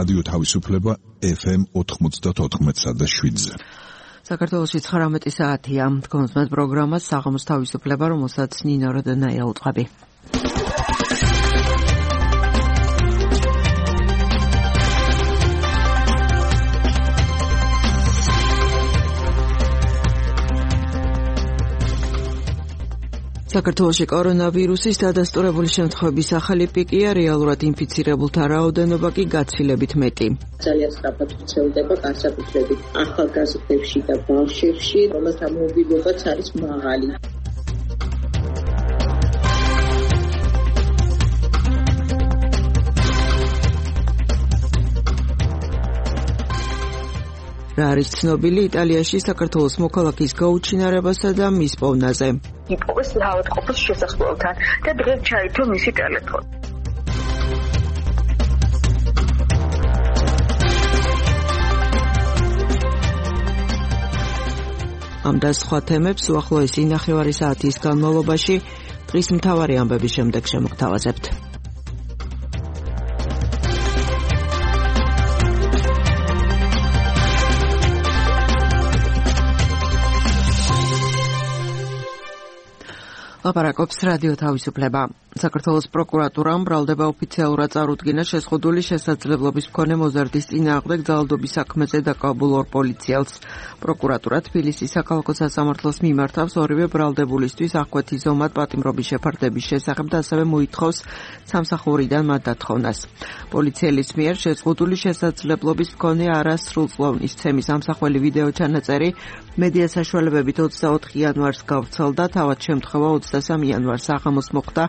რადიო თავისუფლება FM 94.7-ზე. საქართველოში 19 საათია. გონსმეთ პროგრამას საღამოს თავისუფლება, რომელსაც ნინო როდენაია უწყები. საქართველოში კორონავირუსის დადასტურებული შემთხვევების ახალი პიკია, რეალურად ინფიცირებულთა რაოდენობა კი გაცილებით მეტი. ძალიან სწრაფად ვრცელდება განსაკუთრებით ახალგაზრდებში და ბავშვებში, რომელთა მობილობაც არის მაღალი. რა არის ცნობილი იტალიაში საქართველოს მოქალაქის გაუჩინარებასა და მის პოვნაზე? იპოვეს ავადმყოფის შესაძლებლობთან და დღეს ჩაითო მისი ტელეფონი. ამ და სხვა თემებს უახლოესი ნახევარი საათის განმავლობაში დღის მთავარი ამბების შემდეგ შემოგთავაზებთ. ლაპარაკობს რადიო თავისუფლება. საქართველოს პროკურატურამ ბრალდება ოფიციალურად წარუდგინა შეზღუდული შესაძლებლობის მქონე მოზარდის წინააღმდეგ ძალადობის საქმეზე დაკავებულ ორ პოლიციელს. პროკურატურა თბილისის საქალაქო სასამართლოს მიმართავს ორივე ბრალდებულისთვის აღკვეთი ზომად პატიმრობის შეფარდების შესახებ და ასევე მოითხოვს სამსახურიდან მათ დათხოვნას. პოლიციელის მიერ შეზღუდული შესაძლებლობის მქონე არასრულწლოვნის ცემის ამსახველი ვიდეო ჩანაწერი მედია საშუალებებით 24 იანვარს გავრცელდა, თავად შემთხვევა 23 იანვარს საღამოს მოხდა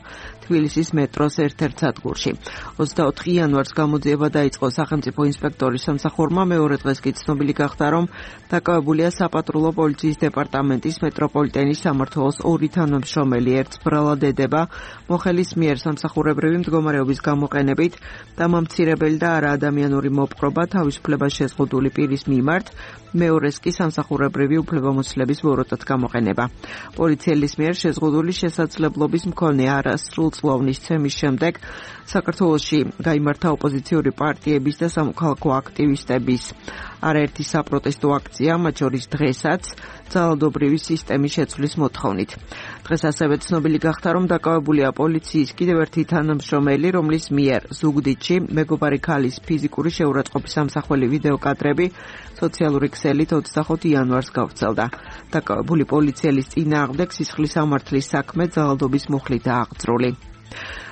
თბილისის მეტროს ერთ-ერთ სადგურში. 24 იანვარს გამოძიება დაიწყო სახელმწიფო ინსპექტორის სამსახურმა, მეორე დღეს კი ცნობილი გახდა, რომ დაკავებულია საპატრულო პოლიციის დეპარტამენტის მეტროპოლიტენის სამმართველოს ორი თანამშრომელი, ერთს ბრალად ედება მოხელის მიერ სამსახურებრივი მდგომარეობის გამოყენებით დამამცირებელი და არაადამიანური მოპყრობა თავისუფლებას შეზღუდული პირის მიმართ, მეორეს კი სამსახურებრივი უფლებამოსილების ბოროტად გამოყენება. პოლიციელის მიერ შეზღუდული შესაძლებლობის მქონე არასრულწლოვნის ცემის შემდეგ საქართველოში გაიმართა ოპოზიციური პარტიების და სამოქალაქო აქტივისტების არაერთი საპროტესტო აქცია, მათ შორის დღესაც ძალადობრივი სისტემის შეცვლის მოთხოვნით. დღეს ასევე ცნობილი გახდა, რომ დაკავებულია პოლიციის კიდევ ერთი თანამშრომელი, რომლის მიერ ზუგდიდში მეგობარი ქალის ფიზიკური შეურაცხყოფის ამსახველი ვიდეო კადრები სოციალური ქსელით 25 იანვარს გავრცელდა. დაკავებული პოლიციელის წინააღმდეგ სისხლის სამართლის საქმე ძალადობის მუხლითაა აღძრული.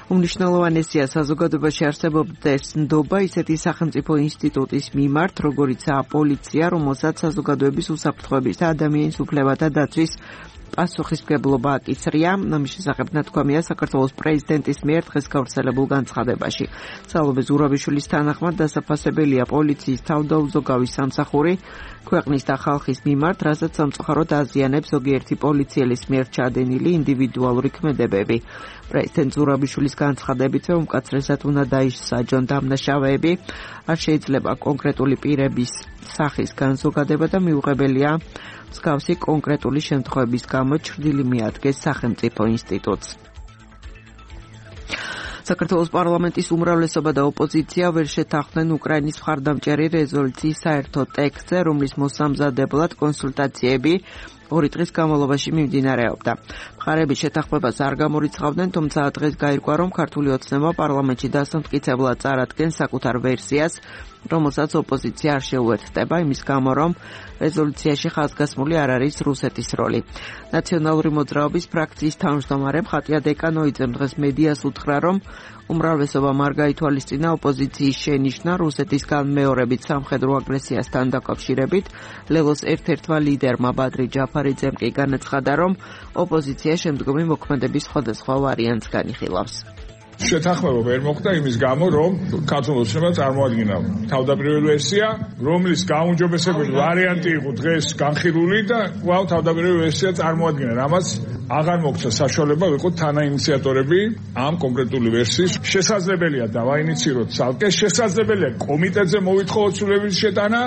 უმნიშვნელოვანესია საზოგადოებაში არსებობდეს ნდობა ისეთი სახელმწიფო ინსტიტუტის მიმართ, როგორიცაა პოლიცია, რომელსაც საზოგადოების უსაფრთხოების და ადამიანის უფლებათა დაცვის პასუხისმგებლობა აკისრია. ამის შესახებ ნათქვამია საქართველოს პრეზიდენტის მიერ დღეს გავრცელებულ განცხადებაში. სალომე ზურაბიშვილის თანახმად დასაფასებელია პოლიციის თავდაუზოგავი სამსახური ქვეყნის და ხალხის მიმართ, რასაც სამწუხაროდ აზიანებს ზოგიერთი პოლიციელის მიერ ჩადენილი ინდივიდუალური ქმედებები. პრეზიდენტ ზურაბიშვილის განცხადებითაც უმკაცრესად უნდა დაისაჯონ დამნაშავეები, არ შეიძლება კონკრეტული პირების სახის განზოგადება და მიუღებელია მსგავსი კონკრეტული შემთხვევების გამო ჩრდილი მიადგეს სახელმწიფო ინსტიტუტს. საქართველოს პარლამენტის უმრავლესობა და ოპოზიცია ვერ შეთანხმდნენ უკრაინის მხარდამჭერი რეზოლუციის საერთო ტექსტზე, რომლის მოსამზადებლად კონსულტაციები 2 დღის განმავლობაში მიმდინარეობდა. მხარები შეთანხმებას არ გამორიცხავდნენ, თუმცა დღეს გაირკვა, რომ ქართული ოცნება პარლამენტში დასამტკიცებლად წარადგენს საკუთარ ვერსიას, რომელსაც ოპოზიცია არ შეუერთდება, იმის გამო, რომ რეზოლუციაში ხაზგასმული არ არის რუსეთის როლი. ნაციონალური მოძრაობის ფრაქციის თავმჯდომარე მხატია დეკანოიძემ დღეს მედიას უთხრა, რომ უმრავლესობამ არ გაითვალისწინა ოპოზიციის შენიშვნა რუსეთისგან მეორებით სამხედრო აგრესიასთან დაკავშირებით. ლელოს ერთ-ერთმა ლიდერმა ბადრი ჯაფარიძემ კი განაცხადა, რომ ოპოზიცია შემდგომი მოქმედების სხვადასხვა ვარიანტს განიხილავს. შეთანხმება ვერ მოხდა იმის გამო, რომ ქართულ ოცნებამ წარმოადგინა თავდაპირველი ვერსია, რომლის გაუმჯობესებული ვარიანტი იყო დღეს განხილული და კვლავ თავდაპირველი ვერსია წარმოადგინა, რამაც აღარ მოგვცა საშუალება ვიყოთ თანაინიციატორები ამ კონკრეტული ვერსიის. შესაძლებელია დავაინიციიროთ ცალკე, შესაძლებელია კომიტეტზე მოვითხოვოთ სრულების შეტანა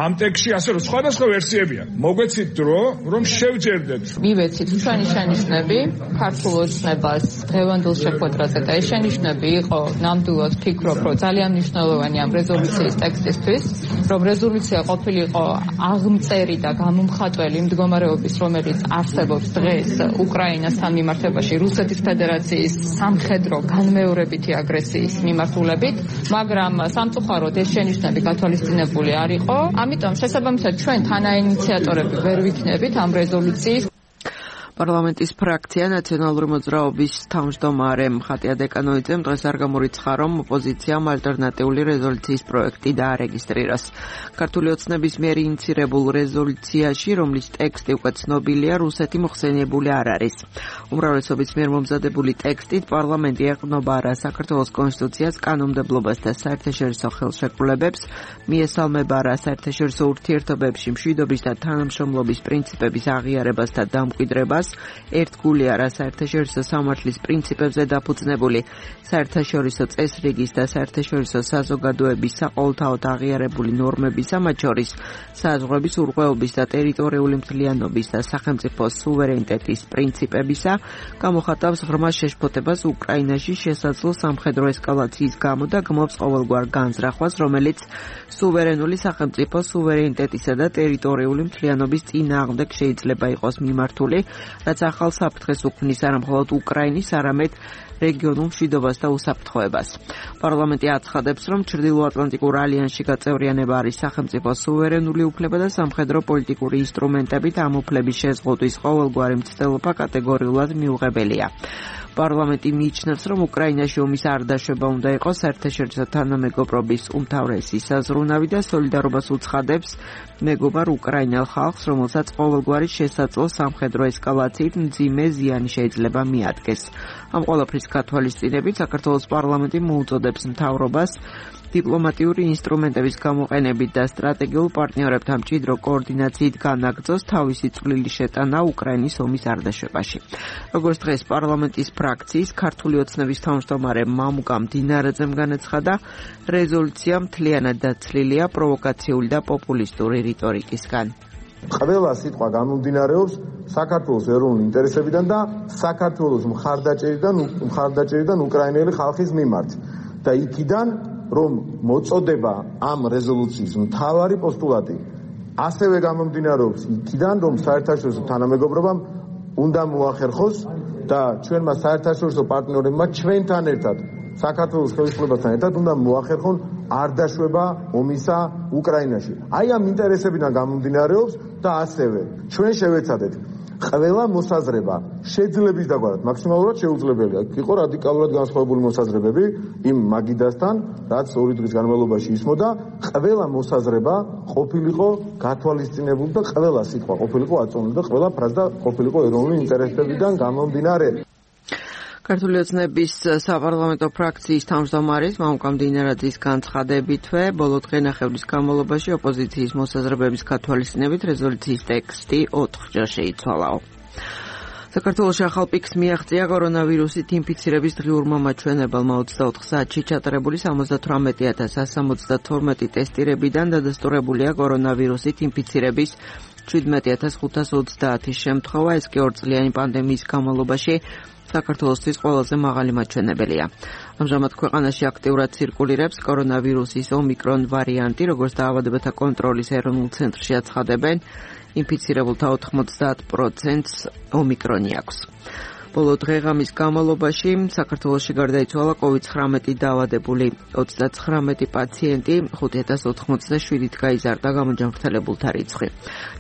ამ ტექსტში, ასე რომ სხვადასხვა ვერსიებია. მოგვეცით დრო, რომ შევჯერდეთ. მივეცით ჩვენი შენიშვნები ქართულ ოცნებას დღევანდელ შეხვედრაზე და ეს შენიშვნები იყო, ნამდვილად ფიქრობ, რომ ძალიან მნიშვნელოვანი ამ რეზოლუციის ტექსტისთვის, რომ რეზოლუცია ყოფილიყო აღმწერი და გამომხატველი მდგომარეობის, რომელიც არსებობს დღეს უკრაინასთან მიმართებაში რუსეთის ფედერაციის სამხედრო განმეორებითი აგრესიის მიმართულებით, მაგრამ სამწუხაროდ ეს შენიშვნები გათვალისწინებული არ იყო. ამიტომ შესაბამისად ჩვენ თანაინიციატორები ვერ ვიქნებით ამ რეზოლუციის. პარლამენტის ფრაქცია ნაციონალური მოძრაობის თავმჯდომარე ხატია დეკანოიძემ დღეს არ გამორიცხა, რომ ოპოზიციამ ალტერნატიული რეზოლუციის პროექტი დაარეგისტრიროს. ქართული ოცნების მიერ ინიცირებულ რეზოლუციაში, რომლის ტექსტი უკვე ცნობილია, რუსეთი მოხსენიებული არ არის. უმრავლესობის მიერ მომზადებული ტექსტით პარლამენტი ეყრდნობა არა საქართველოს კონსტიტუციას, კანონმდებლობას და საერთაშორისო ხელშეკრულებებს, მიესალმება არა საერთაშორისო ურთიერთობებში მშვიდობის და თანამშრომლობის პრინციპების აღიარებას და დამკვიდრებას, ერთგული არა საერთაშორისო სამართლის პრინციპებზე დაფუძნებული საერთაშორისო წესრიგის და საერთაშორისო საზოგადოების საყოველთაოდ აღიარებული ნორმებისა, მათ შორის საზღვრების ურღვეობის და ტერიტორიული მთლიანობის და სახელმწიფოს სუვერენიტეტის პრინციპებისა, გამოხატავს ღრმა შეშფოთებას უკრაინაში შესაძლო სამხედრო ესკალაციის გამო და გმობს ყოველგვარ განზრახვას, რომელიც სუვერენული სახელმწიფოს სუვერენიტეტისა და ტერიტორიული მთლიანობის წინააღმდეგ შეიძლება იყოს მიმართული, რაც ახალ საფრთხეს უქმნის არა მხოლოდ უკრაინის, არამედ რეგიონულ მშვიდობას და უსაფრთხოებას. პარლამენტი აცხადებს, რომ ჩრდილოატლანტიკურ ალიანსში გაწევრიანება არის სახელმწიფოს სუვერენული უფლება და სამხედრო პოლიტიკური ინსტრუმენტებით ამ უფლების შეზღუდვის ყოველგვარი მცდელობა კატეგორიულად მიუღებელია. პარლამენტი მიიჩნევს, რომ უკრაინაში ომის არ დაშვება უნდა იყოს საერთაშორისო თანამეგობრობის უმთავრესი საზრუნავი და სოლიდარობას უცხადებს მეგობარ უკრაინელ ხალხს, რომელსაც ყოველგვარი შესაძლო სამხედრო ესკალაციით მძიმე ზიანი შეიძლება მიადგეს. ამ ყველაფრის გათვალისწინებით საქართველოს პარლამენტი მოუწოდებს მთავრობას დიპლომატიური ინსტრუმენტების გამოყენებით და სტრატეგიულ პარტნიორებთან მჭიდრო კოორდინაციით განაგრძოს თავისი წვლილი შეტანა უკრაინის ომის არდაშვებაში. როგორც დღეს პარლამენტის ფრაქციის ქართული ოცნების თავმჯდომარე მამუკა მდინარაძემ განაცხადა, რეზოლუცია მთლიანად დაცლილია პროვოკაციული და პოპულისტური რიტორიკისგან. ყველა სიტყვა გამომდინარეობს საქართველოს ეროვნული ინტერესებიდან და საქართველოს მხარდაჭერიდან უკრაინელი ხალხის მიმართ. და იქიდან რომ მოწოდება ამ რეზოლუციის მთავარი პოსტულატი ასევე გამომდინარეობს იქიდან, რომ საერთაშორისო თანამეგობრობამ უნდა მოახერხოს და ჩვენმა საერთაშორისო პარტნიორებმა ჩვენთან ერთად საქართველოს ხელისუფლებასთან ერთად უნდა მოახერხონ არ დაშვება ომისა უკრაინაში. აი ამ ინტერესებიდან გამომდინარეობს და ასევე ჩვენ შევეცადეთ ყველა მოსაზრება შეძლების დაგვარად მაქსიმალურად შეუძლებელია. იყო რადიკალურად განსხვავებული მოსაზრებები იმ მაგიდასთან, რაც 2 დღის განმავლობაში ისმოდა, ყველა მოსაზრება ყოფილიყო გათვალისწინებული და ყველა სიტყვა ყოფილიყო აწონილი და ყველა ფრაზა ყოფილიყო ეროვნული ინტერესებიდან გამომდინარე. ქართული ოცნების საპარლამენტო ფრაქციის თავმჯდომარის მამუკა მდინარაძის განცხადებითვე, ბოლო დღენახევრის განმავლობაში ოპოზიციის მოსაზრებების გათვალისწინებით რეზოლუციის ტექსტი 4-ჯერ შეიცვალაო. საქართველოში ახალ პიკს მიაღწია კორონავირუსით ინფიცირების დღიურმა მაჩვენებელმა 24 საათში ჩატარებული 78,172 ტესტირებიდან დადასტურებულია კორონავირუსით ინფიცირების 17,530 შემთხვევა, ეს კი 2 წლიანი პანდემიის განმავლობაში საქართველოსთვის ყველაზე მაღალი მაჩვენებელია. ამჟამად ქვეყანაში აქტიურად ცირკულირებს კორონავირუსის ომიკრონ ვარიანტი, როგორც დაავადებათა კონტროლის ეროვნულ ცენტრში აცხადებენ, ინფიცირებულთა 90%-ს ომიკრონი აქვს. ბოლო დღეღამის განმავლობაში საქართველოში გარდაიცვალა COVID-19 დაავადებული 39 პაციენტი, 5087-ით გაიზარდა გამოჯანმრთელებულთა რიცხვი.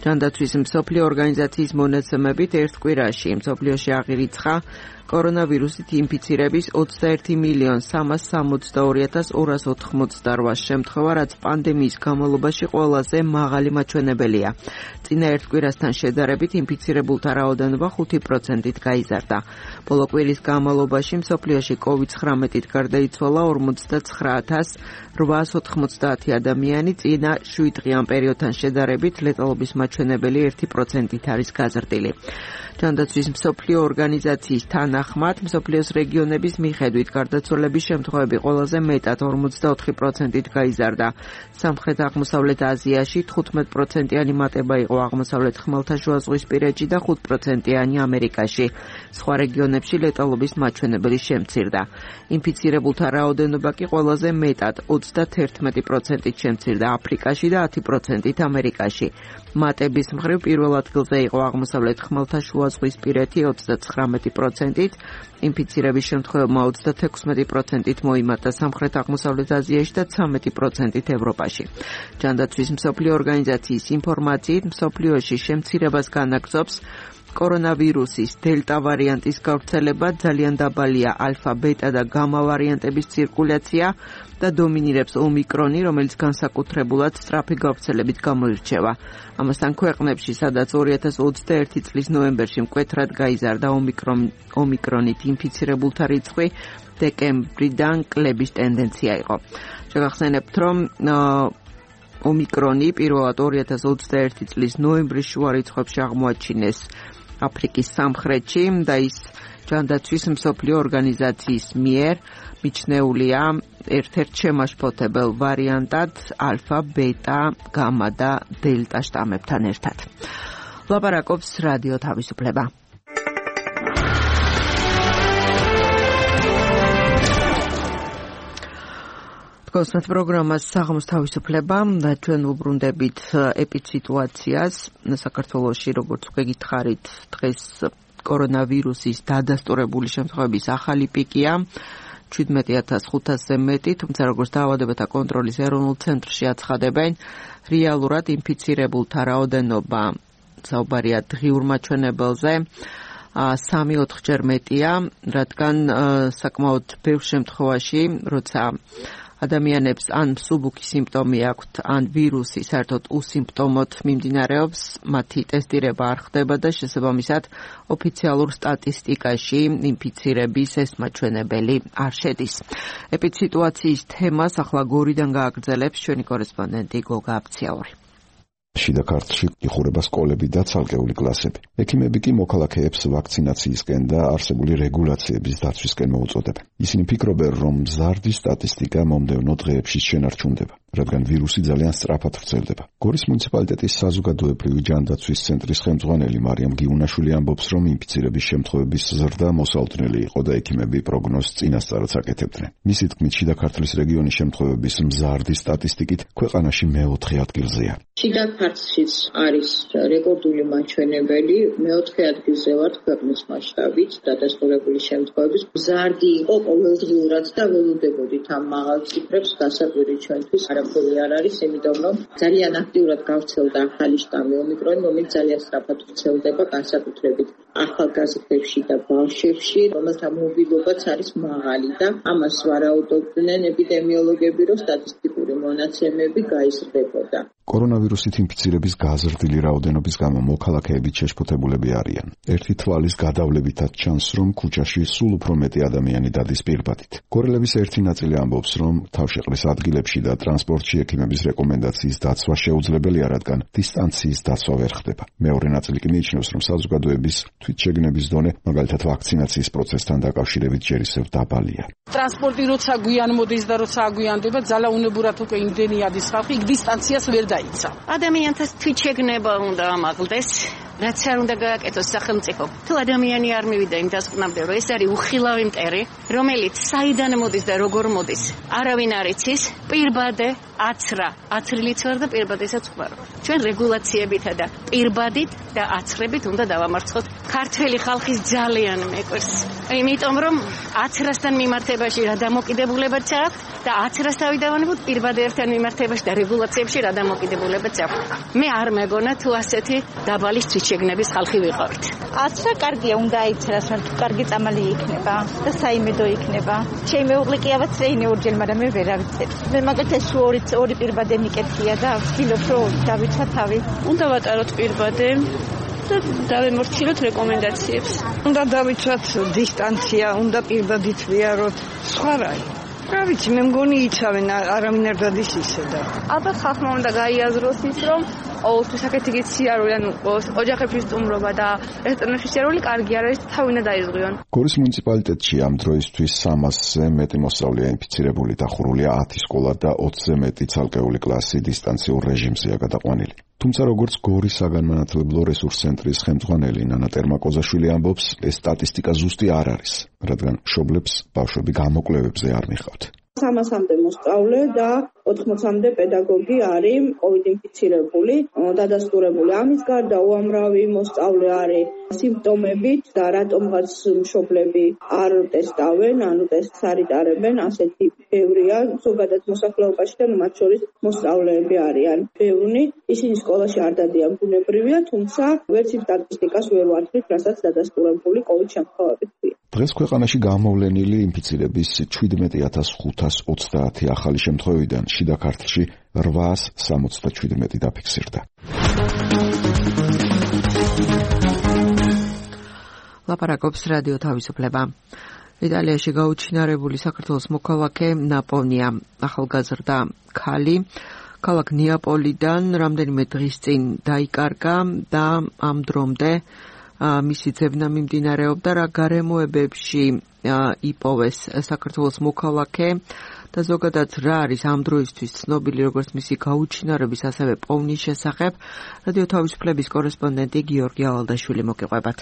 ჯანდაცვის მსოფლიო ორგანიზაციის მონაცემებით ერთ კვირაში მსოფლიოში აღირიცხა კორონავირუსით ინფიცირების 21,362,288 შემთხვევა, რაც პანდემიის განმავლობაში ყველაზე მაღალი მაჩვენებელია. წინა ერთ კვირასთან შედარებით ინფიცირებულთა რაოდენობა 5%-ით გაიზარდა. ბოლო კვირის განმავლობაში მსოფლიოში COVID-19-ით გარდაიცვალა 49,890 ადამიანი, წინა 7 დღიან პერიოდთან შედარებით ლეტალობის მაჩვენებელი 1%-ით არის გაზრდილი. ჯანდაცვის მსოფლიო ორგანიზაციის თანახმად, მსოფლიოს რეგიონების მიხედვით გარდაცვალების შემთხვევები ყველაზე მეტად 54%-ით გაიზარდა. სამხრეთ-აღმოსავლეთ აზიაში 15%-იანი მატება იყო აღმოსავლეთ ხმელთაშუაზღვისპირეთში და 5%-იანი ამერიკაში. სხვა რეგიონებში ლეტალობის მაჩვენებელი შემცირდა. ინფიცირებულთა რაოდენობა კი ყველაზე მეტად 31%-ით შემცირდა აფრიკაში და 10%-ით ამერიკაში. მატების მხრივ პირველ ადგილზე იყო აღმოსავლეთ ხმელთაშუაზღვისპირეთი 39%-ით, ინფიცირების შემთხვევებმა 36%-ით მოიმატა სამხრეთ-აღმოსავლეთ აზიაში და 13%-ით ევროპაში. ჯანდაცვის მსოფლიო ორგანიზაციის ინფორმაციით, მსოფლიოში შემცირებას განაგრძობს კორონავირუსის დელტა ვარიანტის გავრცელება, ძალიან დაბალია ალფა, ბეტა და გამა ვარიანტების ცირკულაცია და დომინირებს ომიკრონი, რომელიც განსაკუთრებულად სწრაფი გავრცელებით გამოირჩევა. ამასთან ქვეყნებში, სადაც 2021 წლის ნოემბერში მკვეთრად გაიზარდა ომიკრონით ინფიცირებულთა რიცხვი, დეკემბრიდან კლების ტენდენცია იყო. შეგახსენებთ, რომ ომიკრონი პირველად 2021 წლის ნოემბრის შუა რიცხვებში აღმოაჩინეს აფრიკის სამხრეთში და ის ჯანდაცვის მსოფლიო ორგანიზაციის მიერ მიჩნეულია ერთ-ერთ შემაშფოთებელ ვარიანტად ალფა, ბეტა, გამა და დელტა შტამებთან ერთად. ლაპარაკობს რადიო თავისუფლება. გოსმეთ პროგრამას საღამოს თავისუფლება და ჩვენ უბრუნდებით ეპიდსიტუაციას საქართველოში, როგორც გეკითხარით, დღეს კორონავირუსის დადასტურებული შემთხვევების ახალი პიკია 17500-ზე მეტი, თუმცა როგორც დაავადებათა კონტროლის ეროვნულ ცენტრში აცხადებენ, რეალურად ინფიცირებულთა რაოდენობა საუბარია დღიურ მაჩვენებელზე 3-4-ჯერ მეტია, რადგან საკმაოდ ბევრ შემთხვევაში, როცა ადამიანებს ან მსუბუქი სიმპტომი აქვთ, ან ვირუსი საერთოდ უსიმპტომოდ მიმდინარეობს, მათი ტესტირება არ ხდება და შესაბამისად ოფიციალურ სტატისტიკაში ინფიცირების ეს მაჩვენებელი არ შედის. ეპიდსიტუაციის თემას ახლა გორიდან გააგრძელებს ჩვენი კორესპონდენტი გოგა აფციაური. შიდა ქართლში იხურება სკოლები და ცალკეული კლასები. ექიმები კი მოქალაქეებს ვაქცინაციისკენ და არსებული რეგულაციების დაცვისკენ მოუწოდებენ. ისინი ფიქრობენ, რომ მზარდი სტატისტიკა მომდევნო დღეებში შენარჩუნდება, რადგან ვირუსი ძალიან სწრაფად ვრცელდება. გორის მუნიციპალიტეტის საზოგადოებრივი ჯანდაცვის ცენტრის ხელმძღვანელი მარიამ გიუნაშვილი ამბობს, რომ ინფიცირების შემთხვევების ზრდა მოსალოდნელი იყო და ექიმები პროგნოზს წინასწარად აკეთებდნენ. მისი თქმით, შიდა ქართლის რეგიონის შემთხვევების მზარდი სტატისტიკით ქვეყანაში მეოთხე ადგილზეა. შიდა ქართლშიც არის რეკორდული მაჩვენებელი, მეოთხე ადგილზე ვართ ქვეყნის მასშტაბით დადასტურებული შემთხვევების. მზარდი იყო ყოველდღიურად და ველოდებოდით ამ მაღალ ციფრებს, გასაკვირი ჩვენთვის არაფერი არ არის, იმიტომ რომ ძალიან აქტიურად გავრცელდა ახალი შტამი ომიკრონი, რომელიც ძალიან სწრაფად ვრცელდება, განსაკუთრებით ახალგაზრდებში და ბავშვებში, რომელთა მობილობაც არის მაღალი და ამას ვარაუდობდნენ ეპიდემიოლოგები, რომ სტატისტიკური მონაცემები გაიზრდებოდა. კორონავირუსით ინფიცირების გაზრდილი რაოდენობის გამო მოქალაქეები შეშფოთებულები არიან. ერთი თვალის გადავლებითაც ჩანს, რომ ქუჩაში სულ უფრო მეტი ადამიანი დადის პირბადით. გორელების ერთი ნაწილი ამბობს, რომ თავშეყრის ადგილებში და ტრანსპორტში ექიმების რეკომენდაციის დაცვა შეუძლებელია, რადგან დისტანციის დაცვა ვერ ხდება. მეორე ნაწილი კი მიიჩნევს, რომ საზოგადოების თვითშეგნების დონე, მაგალითად ვაქცინაციის პროცესთან დაკავშირებით ჯერ ისევ დაბალია. ტრანსპორტი როცა გვიან მოდის და როცა აგვიანდება, ძალაუნებურად უკვე იმდენი ადის ხალხი, იქ დისტანციას ვერ დაიცა. ადამიანთა თვითშეგნება უნდა ამაღლდეს, რაც არ უნდა გააკეთოს სახელმწიფო. თუ ადამიანი არ მივიდა იმ დასკვნამდე, რომ ეს არის უხილავი მტერი, რომელიც საიდან მოდის და როგორ მოდის, არავინ არ იცის, პირბადე აცრა, აცრილიც ვარ და პირბადესაც ვარ. ჩვენ რეგულაციებითა და პირბადით და აცრებით უნდა დავამარცხოთ ქართველი ხალხის ძალიან მეკვირს. იმიტომ რომ აცრასთან მიმართებაში რა დამოკიდებულებაც აქვს და აცრას თავი დავანებოთ პირბადეებთან მიმართებაში და რეგულაციებში რა დამოკიდებულებაც აქვს. მე არ მეგონა თუ ასეთი დაბალი თვითშეგნების ხალხი ვიყავით. აცრა კარგია, უნდა აიცრას, მაგრამ კარგი წამალი იქნება და საიმედო იქნება. ჩემი მეუღლე კი ავაცრეინე ორჯერ, მაგრამ მე ვერ ავიცებ. მე მაგალითად ორი პირბადე მიკეთია და ვცდილობ რომ დავიცვა თავი. უნდა ვატაროთ პირბადე და დავემორჩილოთ რეკომენდაციებს. უნდა დავიცვათ დისტანცია, უნდა პირბადით ვიაროთ. სხვა რა. რა ვიცი, მე მგონი იცავენ, არავინ არ დადის ისე და. ალბათ ხალხმა უნდა გაიაზროს ის, რომ ყოველთვის აქეთი სიარული, ანუ ოჯახებში სტუმრობა და რესტორნებში სიარული კარგი არ არის, თავი უნდა დაიზღვიონ. გორის მუნიციპალიტეტში ამ დროისთვის 300-ზე მეტი მოსწავლეა ინფიცირებული, დახურულია 10 სკოლა და 20-ზე მეტი ცალკეული კლასი დისტანციურ რეჟიმზეა გადაყვანილი. თუმცა როგორც გორის საგანმანათლებლო რესურს ცენტრის ხელმძღვანელი ნანა ტერმაკოზაშვილი ამბობს, ეს სტატისტიკა ზუსტი არ არის, რადგან მშობლებს ბავშვები გამოკვლევებზე არ მიხავთ. 300-მდე მოსწავლე და 80-მდე პედაგოგი არის COVID ინფიცირებული, დადასტურებული. ამის გარდა უამრავი მოსწავლე არის სიმპტომებით და რატომღაც მშობლები არ ტესტავენ, ანუ ტესტს არ იტარებენ, ასეთი ბევრია ზოგადად მოსახლეობაში და მათ შორის მოსწავლეები არიან ბევრი. ისინი სკოლაში არ დადიან, ბუნებრივია, თუმცა ვერც იმ სტატისტიკას ვერ ვართვით, რასაც დადასტურებული COVID შემთხვევებით ქვია. დღეს ქვეყანაში გამოვლენილი ინფიცირების 17,530 ახალი შემთხვევიდან შიდა ქართლში 877 დაფიქსირდა. ლაპარაკობს რადიო თავისუფლება. იტალიაში გაუჩინარებული საქართველოს მოქალაქე ნაპოვნია. ახალგაზრდა ქალი ქალაქ ნეაპოლიდან რამდენიმე დღის წინ დაიკარგა და ამ დრომდე მისი ძებნა მიმდინარეობდა, რა გარემოებებში იპოვეს საქართველოს მოქალაქე და ზოგადად რა არის ამ დროისთვის ცნობილი როგორც მისი გაუჩინარების, ასევე პოვნის შესახებ. რადიო თავისუფლების კორესპონდენტი გიორგი ავალდაშვილი მოგიყვებათ.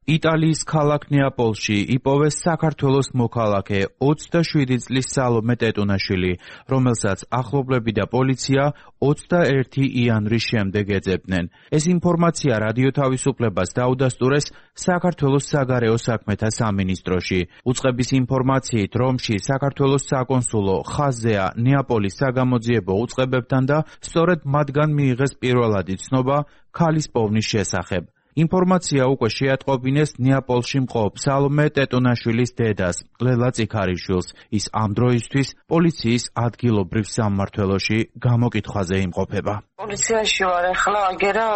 იტალიის ქალაქ ნეაპოლში იპოვეს საქართველოს მოქალაქე 27 წლის სალომე ტეტუნაშვილი, რომელსაც ახლობლები და პოლიცია 21 იანვრის შემდეგ ეძებდნენ. ეს ინფორმაცია რადიო თავისუფლებას დაუდასტურეს საქართველოს საგარეო საქმეთა სამინისტროში. უწყების ინფორმაციით, რომში საქართველოს საკონსულო ხაზზეა ნეაპოლის საგამოძიებო უწყებებთან და სწორედ მათგან მიიღეს პირველადი ცნობა ქალის პოვნის შესახებ. ინფორმაცია უკვე შეატყობინეს ნეაპოლში მყოფ სალომე ტეტუნაშვილის დედას, ლელა წიქარიშვილს. ის ამ დროისთვის პოლიციის ადგილობრივ სამმართველოში გამოკითხვაზე იმყოფება. პოლიციაში ვარ ახლა, აგერა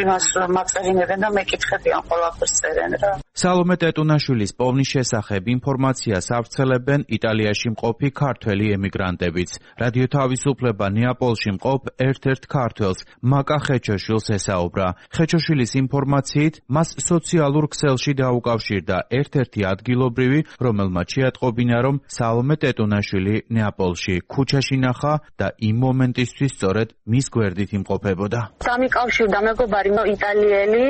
იმას მაწერინებენ და მეკითხებიან ყველაფერს წერენ რა. სალომე ტეტუნაშვილის პოვნის შესახებ ინფორმაციას ავრცელებენ იტალიაში მყოფი ქართველი ემიგრანტებიც. რადიო თავისუფლება ნეაპოლში მყოფ ერთ-ერთ ქართველს, მაკა ხეჩოშვილს ესაუბრა. ხეჩოშვილის ინფორმაციით, მას სოციალურ ქსელში დაუკავშირდა ერთ-ერთი ადგილობრივი, რომელმაც შეატყობინა, რომ სალომე ტეტუნაშვილი ნეაპოლში ქუჩაში ნახა და იმ მომენტისთვის სწორედ მის გვერდით იმყოფებოდა. დამიკავშირდა მეგობარი იტალიელი,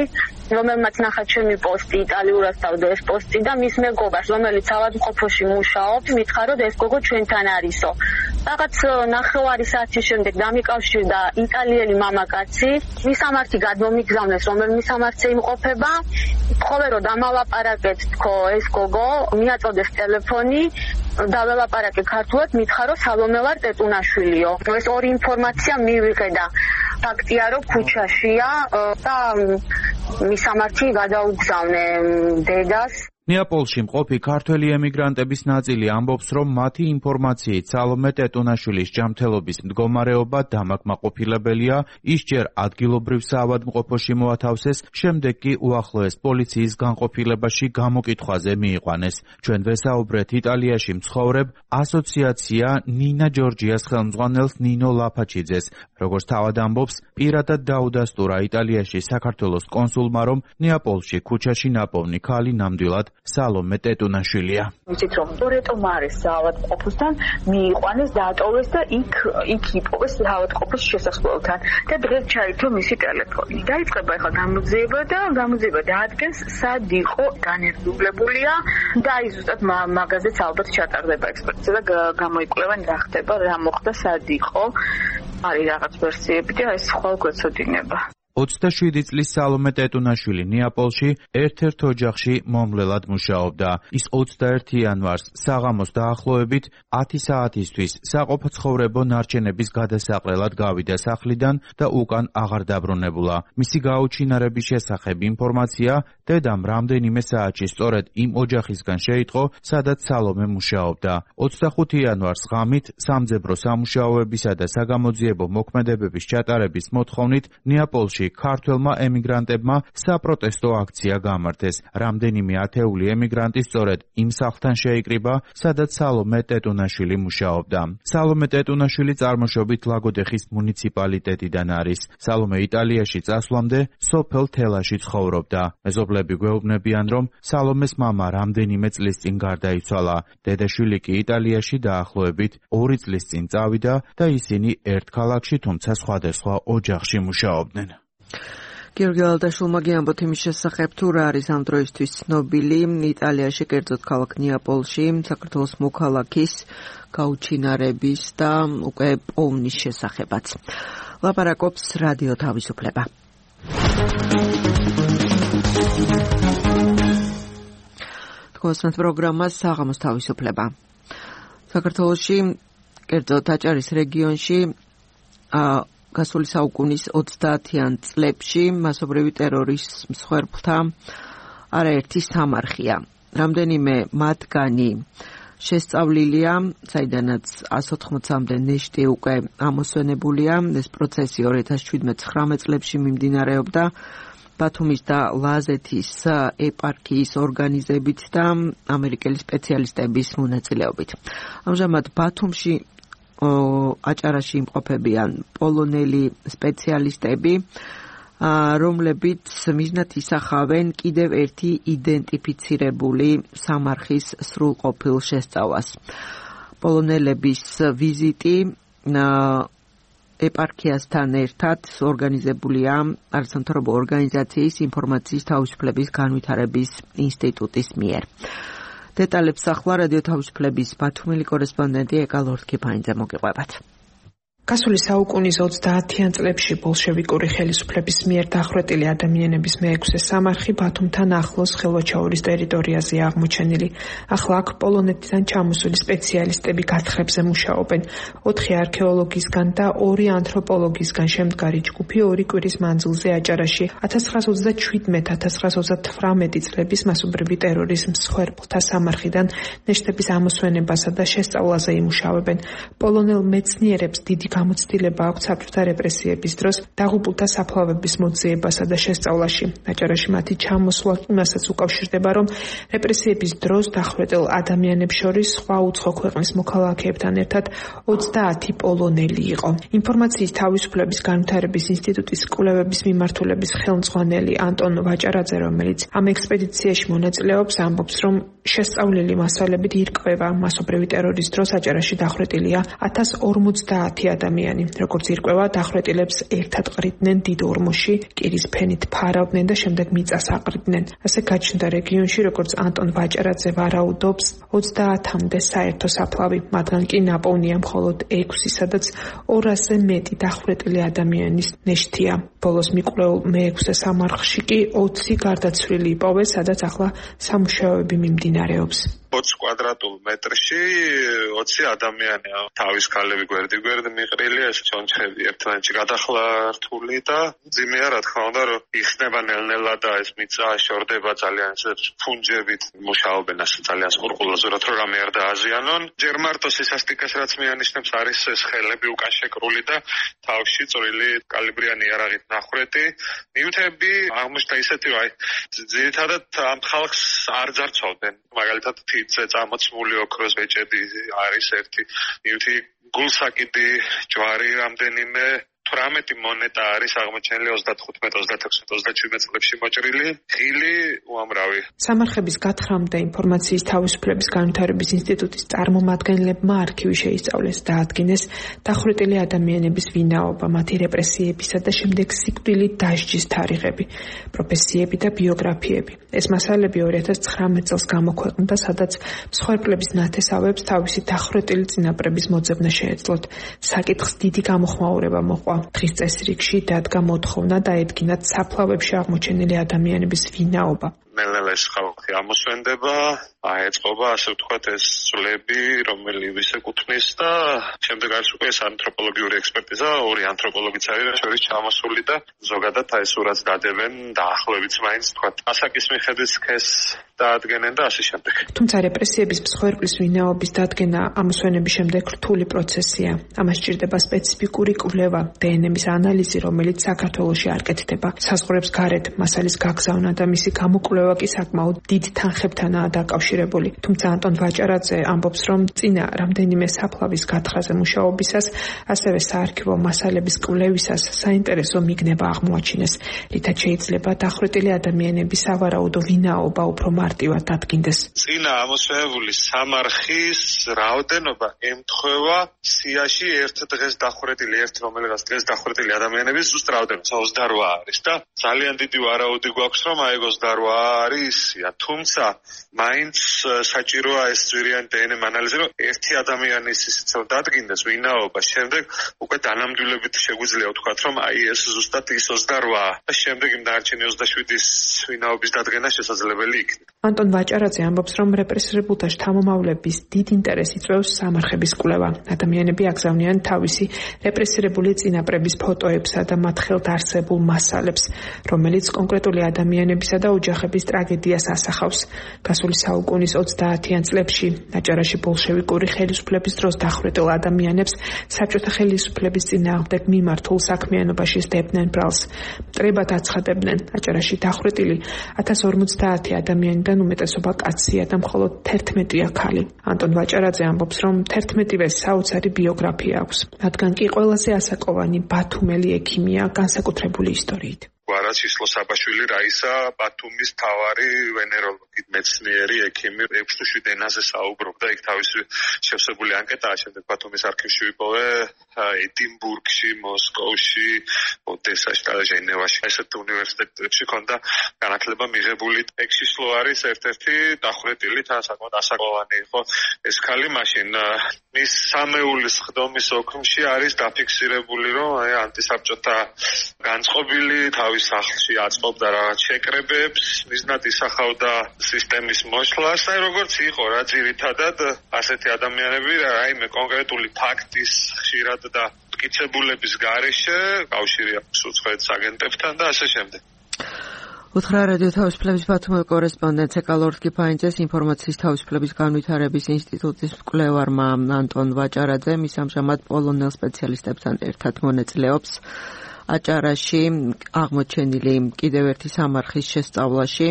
რომელმაც ნახა ჩემი პოსტი იტალიურად დავდა ეს პოსტი და მის მეგობარს, რომელიც ავადმყოფოში მუშაობს, მითხრა, რომ ეს გოგო ჩვენთან არისო. რაღაც ნახევარი საათის შემდეგ დამიკავშირდა იტალიელი მამაკაცი, მისამართი გადმომიგზავნეს, რომელმის მისამართზე იმყოფება. თხოვე რომ დამალაპარაკეთ, თქო ეს გოგო, მიაწოდეს ტელეფონი, დაველაპარაკე ქართულად, მითხრა რომ სალომე ვარ ტეტუნაშვილიო. ეს ორი ინფორმაცია მივიღე და ფაქტია რომ ქუჩაშია და მისამართი გადაუგზავნე დედას. ნეაპოლში მყოფი ქართველი ემიგრანტების ნაწილი ამბობს, რომ მათი ინფორმაციით სალომე ტეტუნაშვილის ჯანმრთელობის მდგომარეობა დამაკმაყოფილებელია, ის ჯერ ადგილობრივ საავადმყოფოში მოათავსეს, შემდეგ კი უახლოეს პოლიციის განყოფილებაში გამოკითხვაზე მიიყვანეს. ჩვენ ვესაუბრეთ იტალიაში მცხოვრებ ასოციაცია ნინა ჯორჯიას ხელმძღვანელს ნინო ლაფაჩიძეს. როგორც თავად ამბობს, პირადად დაუდასტურა იტალიაში საქართველოს კონსულმა, რომ ნეაპოლში ქუჩაში ნაპოვნი ქალი ნამდვილად სალომე ტეტუნაშვილია. ვიცით რომ რეტომ არის საავადმყოფოსთან მიიყვანეს, დაატოვეს და იქ იპოვეს საავადმყოფოს შესასვლელთან და დღეს ჩაითო მისი ტელეფონი. დაიწყება ახლა გამოძიება და გამოძიება დაადგენს სად იყო განერგულებულია და ის ზუსტად მაგაზეც ალბათ ჩატარდება ექსპერტიზა და გამოიკვლევენ რა ხდება, რა მოხდა, სად იყო. არის რაღაც ვერსიები და ეს ხვალ გვეცოდინება. 27 წლის სალომე ტეტუნაშვილი ნეაპოლში ერთ-ერთ ოჯახში მომლელად მუშაობდა. ის 21 იანვარს საღამოს დაახლოებით 10 საათისთვის საყოფაცხოვრებო ნარჩენების გადასაყრელად გავიდა სახლიდან და უკან აღარ დაბრუნებულა. მისი გაუჩინარების შესახებ ინფორმაცია დედამ რამდენიმე საათში სწორედ იმ ოჯახისგან შეიტყო, სადაც სალომე მუშაობდა. 25 იანვარს ღამით სამძებრო სამუშაოებისა და საგამოძიებო მოქმედებების ჩატარების მოთხოვნით ნეაპოლში საქართველოში ქართველმა ემიგრანტებმა საპროტესტო აქცია გამართეს. რამდენიმე ათეული ემიგრანტი სწორედ იმ სახლთან შეიკრიბა, სადაც სალომე ტეტუნაშვილი მუშაობდა. სალომე ტეტუნაშვილი წარმოშობით ლაგოდეხის მუნიციპალიტეტიდან არის. სალომე იტალიაში წასვლამდე სოფელ თელაში ცხოვრობდა. მეზობლები გვეუბნებიან, რომ სალომეს მამა რამდენიმე წლის წინ გარდაიცვალა. დედაშვილი კი იტალიაში დაახლოებით 2 წლის წინ წავიდა და ისინი ერთ ქალაქში, თუმცა სხვადასხვა ოჯახში მუშაობდნენ. გიორგი ალდაშვილმა გიამბოთ იმის შესახებ, თუ რა არის ამ დროისთვის ცნობილი იტალიაში, კერძოდ ქალაქ ნეაპოლში, საქართველოს მოქალაქის გაუჩინარების და უკვე პოვნის შესახებაც. ლაპარაკობს რადიო თავისუფლება. თქვენს პროგრამას საღამოს თავისუფლება. საქართველოში, კერძოდ აჭარის რეგიონში გასული საუკუნის 30-იან წლებში მასობრივი ტერორის მსხვერპლთა არაერთი სამარხია. რამდენიმე მათგანი შესწავლილია, საიდანაც 180-მდე ნეშტი უკვე ამოსვენებულია. ეს პროცესი 2017-19 წლებში მიმდინარეობდა ბათუმის და ლაზეთის ეპარქიის ორგანიზებით და ამერიკელი სპეციალისტების მონაწილეობით. ამჟამად ბათუმში აჭარაში იმყოფებიან პოლონელი სპეციალისტები, რომლებიც მიზნად ისახავენ კიდევ ერთი იდენტიფიცირებული სამარხის სრულყოფილ შესწავლას. პოლონელების ვიზიტი ეპარქიასთან ერთად ორგანიზებულია არასამთავრობო ორგანიზაციის ინფორმაციის თავისუფლების განვითარების ინსტიტუტის მიერ. დეტალებს ახლა რადიო თავისუფლების ბათუმელი კორესპონდენტი ეკა ლორთქიფანიძე მოგიყვებათ. გასული საუკუნის 30-იან წლებში ბოლშევიკური ხელისუფლების მიერ დახვრეტილი ადამიანების მე-6 სამარხი ბათუმთან ახლოს ხელვაჩაურის ტერიტორიაზე აღმოჩენილი. ახლა აქ პოლონეთიდან ჩამოსული სპეციალისტები გათხრებზე მუშაობენ. 4 არქეოლოგისგან და 2 ანთროპოლოგისგან შემდგარი ჯგუფი 2 კვირის მანძილზე აჭარაში 1927-1928 წლების მასობრივი ტერორის მსხვერპლთა სამარხიდან ნეშტების ამოსვენებასა და შესწავლაზე იმუშავებენ. პოლონელ მეცნიერებს დიდი გამოცდილება აქვს საბჭოთა რეპრესიების დროს დაღუპულთა საფლავების მოძიებასა და შესწავლაში. აჭარაში მათი ჩამოსვლა იმასაც უკავშირდება, რომ რეპრესიების დროს დახვრეტილ ადამიანებს შორის სხვა უცხო ქვეყნის მოქალაქეებთან ერთად 30 პოლონელი იყო. ინფორმაციის თავისუფლების განვითარების ინსტიტუტის კვლევების მიმართულების ხელმძღვანელი ანტონ ვაჭარაძე, რომელიც ამ ექსპედიციაში მონაწილეობს, ამბობს, რომ შესწავლილი მასალებით ირკვევა მასობრივი ტერორის დროს აჭარაში დახვრეტილია 1050 ადამიანი. როგორც ირკვევა, დახვრეტილებს ერთად ყრიდნენ დიდ ორმოში, კირის ფენით ფარავდნენ და შემდეგ მიწას აყრიდნენ. ასე გაჩნდა რეგიონში, როგორც ანტონ ვაჭარაძე ვარაუდობს, 30-მდე საერთო საფლავი, მათგან კი ნაპოვნია მხოლოდ 6, სადაც 200-ზე მეტი დახვრეტილი ადამიანის ნეშთია. ბოლოს მიკვლეულ მე-6 სამარხში კი 20 გარდაცვლილი იპოვეს, სადაც ახლა სამუშაოები მიმდინარეობს. 20 კვადრატულ მეტრში 20 ადამიანია. თავის ქალები გვერდი მიყრილია, ეს ჩონჩხები ერთმანეთში გადახლართული და ძიმეა, რა თქმა უნდა, რომ იხსნება ნელ-ნელა და ეს მიწა შორდება ძალიან ფუნჯებით მუშაობენ, ასე ძალიან სყურყულოზურად, რომ რამე არ დააზიანონ. ჯერ მარტო სისასტიკეს რაც მიანიშნებს არის ეს ხელები უკან შეკრული და თავში წვრილი კალიბრიანი იარაღით ნახვრეთი. ნივთები აღმოჩნდა ისეთი, რომ ძირითადად ამ ხალხს არ ძარცვავდნენ. მაგალითად თითზე წამოცმული ოქროს ბეჭედი არის ერთი ნივთი, გულსაკიდი, ჯვარი რამდენიმე, 18 მონეტა არის აღმოჩენილი 35, 36, 37 წლებში მოჭრილი, ღილი უამრავი. სამარხების გათხრამდე ინფორმაციის თავისუფლების განვითარების ინსტიტუტის წარმომადგენლებმა არქივი შეისწავლეს და ადგენეს დახვრეტილი ადამიანების ვინაობა, მათი რეპრესიებისა და შემდეგ სიკვდილით დასჯის თარიღები, პროფესიები და ბიოგრაფიები. ეს მასალები 2019 წელს გამოქვეყნდა, სადაც მსხვერპლების ნათესავებს თავისი დახვრეტილი წინაპრების მოძებნა შეეძლოთ. საკითხს დიდი გამოხმაურება მოყვა. დღის წესრიგში დადგა მოთხოვნა დაედგინათ საფლავებში აღმოჩენილი ადამიანების ვინაობა. ნელ-ნელა ეს ხალხი ამოსვენდება, აეწყობა ასე ვთქვათ ეს ძვლები, რომელიც ეკუთვნის და შემდეგ არის უკვე ეს ანთროპოლოგიური ექსპერტიზა, ორი ანთროპოლოგიც არის შორის ჩამოსული და ზოგადად აი სურათს დადებენ დაახლოებით მაინც ვთქვათ ასაკის მიხედვით სქესს დაადგენენ და ასე შემდეგ. თუმცა რეპრესიების მსხვერპლის ვინაობის დადგენა ამოსვენების შემდეგ რთული პროცესია. ამას სჭირდება სპეციფიკური კვლევა, დნმ-ის ანალიზი, რომელიც საქართველოში არ კეთდება. საზღვრებს გარეთ მასალის გაგზავნა და მისი გამოკვლევა კი საკმაოდ დიდ თანხებთანაა დაკავშირებული. თუმცა ანტონ ვაჭარაძე ამბობს, რომ წინა რამდენიმე საფლავის გათხრაზე მუშაობისას, ასევე საარქივო მასალების კვლევისას საინტერესო მიგნება აღმოაჩინეს, რითაც შეიძლება დახვრეტილი ადამიანების სავარაუდო ვინაობა უფრო მარტივად დადგინდეს. წინა ამოსვენებული სამარხის რაოდენობა ემთხვევა სიაში ერთ დღეს დახვრეტილი, რომელიღაც დღეს დახვრეტილი ადამიანების ზუსტ რაოდენობა 28 არის და ძალიან დიდი ვარაუდი გვაქვს, რომ აი 28 არის ისია. თუმცა მაინც საჭიროა ეს ძვირიანი დნმ ანალიზი, რომ ერთი ადამიანის ისიც რომ დადგინდეს ვინაობა, შემდეგ უკვე დანამდვილებით შეგვიძლია ვთქვათ, რომ აი ეს ზუსტად ის 28-ა და შემდეგ იმ დარჩენი 27-ის ვინაობის დადგენა შესაძლებელი იქნება. ანტონ ვაჭარაძე ამბობს, რომ რეპრესირებულთა შთამომავლების დიდ ინტერესს იწვევს სამარხების კვლევა. ადამიანები აგზავნიან თავისი რეპრესირებული წინაპრების ფოტოებსა და მათ ხელთ არსებულ მასალებს, რომელიც კონკრეტული ადამიანებისა და ოჯახების ტრაგედიას ასახავს. გასული საუკუნის 30-იან წლებში აჭარაში ბოლშევიკური ხელისუფლების დროს დახვრეტილ ადამიანებს საბჭოთა ხელისუფლების წინააღმდეგ მიმართულ საქმიანობაში სდებდნენ ბრალს. მტრებად აცხადებდნენ, აჭარაში დახვრეტილი 1050 ადამიანიდან უმეტესობა კაცია და მხოლოდ 11-ია ქალი. ანტონ ვაჭარაძე ამბობს, რომ 11-ვე საოცარი ბიოგრაფია აქვს, რადგან კი ყველაზე ასაკოვანი ბათუმელი ექიმია განსაკუთრებული ისტორიით. გვარაცისლო საბაშვილი რაისა ბათუმის მთავარი ვენეროლოგი, მეცნიერი ექიმი 6-7 ენაზე საუბრობდა, იქ თავისი შევსებული ანკეტაა, შემდეგ ბათუმის არქივში ვიპოვე, ედინბურგში, მოსკოვში, ოდესაში და ჟენევაში, ესეთ უნივერსიტეტებში ქონდა განათლება მიღებული. ექსისლო არის ერთ-ერთი დახვრეტილი, თან საკმაოდ ასაკოვანი იყო ეს ქალი, მაშინ მის სამეულის ხდომის ოქმში არის დაფიქსირებული, რომ ანტისაბჭოთა განწყობილი თავის სახლში აწყობდა რაღაც შეკრებებს, მიზნად ისახავდა სისტემის მოშლას, აი როგორც იყო რა ძირითადად ასეთი ადამიანები რაიმე კონკრეტული ფაქტის ხშირად და მტკიცებულების გარეშე კავშირი აქვს უცხოეთის აგენტებთან და ასე შემდეგ. უთხრა რადიო თავისუფლების ბათუმის კორესპონდენტ ეკალორდ კიფაინძეს ინფორმაციის თავისუფლების განვითარების ინსტიტუტის მკვლევარმა ანტონ ვაჭარაძე მის ამჟამად პოლონელ სპეციალისტებთან ერთად მონაწილეობს აჭარაში აღმოჩენილი კიდევ ერთი სამარხის შესწავლაში.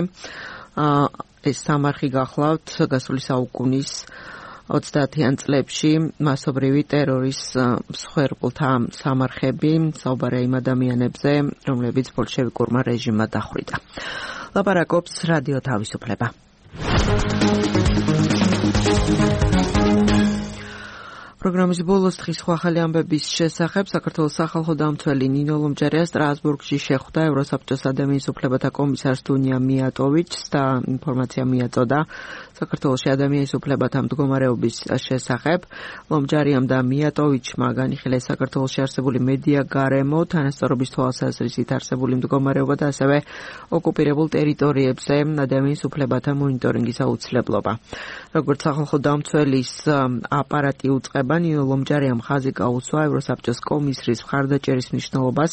ეს სამარხი გახლავთ გასული საუკუნის 30-იან წლებში მასობრივი ტერორის მსხვერპლთა სამარხები, საუბარია იმ ადამიანებზე, რომლებიც ბოლშევიკურმა რეჟიმმა დახვრიტა. ლაპარაკობს რადიო თავისუფლება. პროგრამის ბოლოს დღის ახალი ამბების შესახებ საქართველოს სახალხო დამცველი ნინო ლომჯარია სტრასბურგში შეხვდა ევროსაბჭოს ადამიანის უფლებათა კომისარს დუნია მიატოვიჩს და ინფორმაცია მიაწოდა საქართველოს ადამიანის უფლებათა მდგომარეობის შესახებ. ლომჯარიამ და მიატოვიჩმა განიხილეს საქართველოში არსებული მედია გარემო, თანასწორობის თვალსაზრისით არსებული მდგომარეობა და ასევე ოკუპირებულ ტერიტორიებზე ადამიანის უფლებათა მონიტორინგის აუცილებლობა. როგორც სახალხო დამცველის აპარატი უწყება, ნინო ლომჯარიამ ხაზი გაუსვა ევროსაბჭოს კომისრის მხარდაჭერის მნიშვნელობას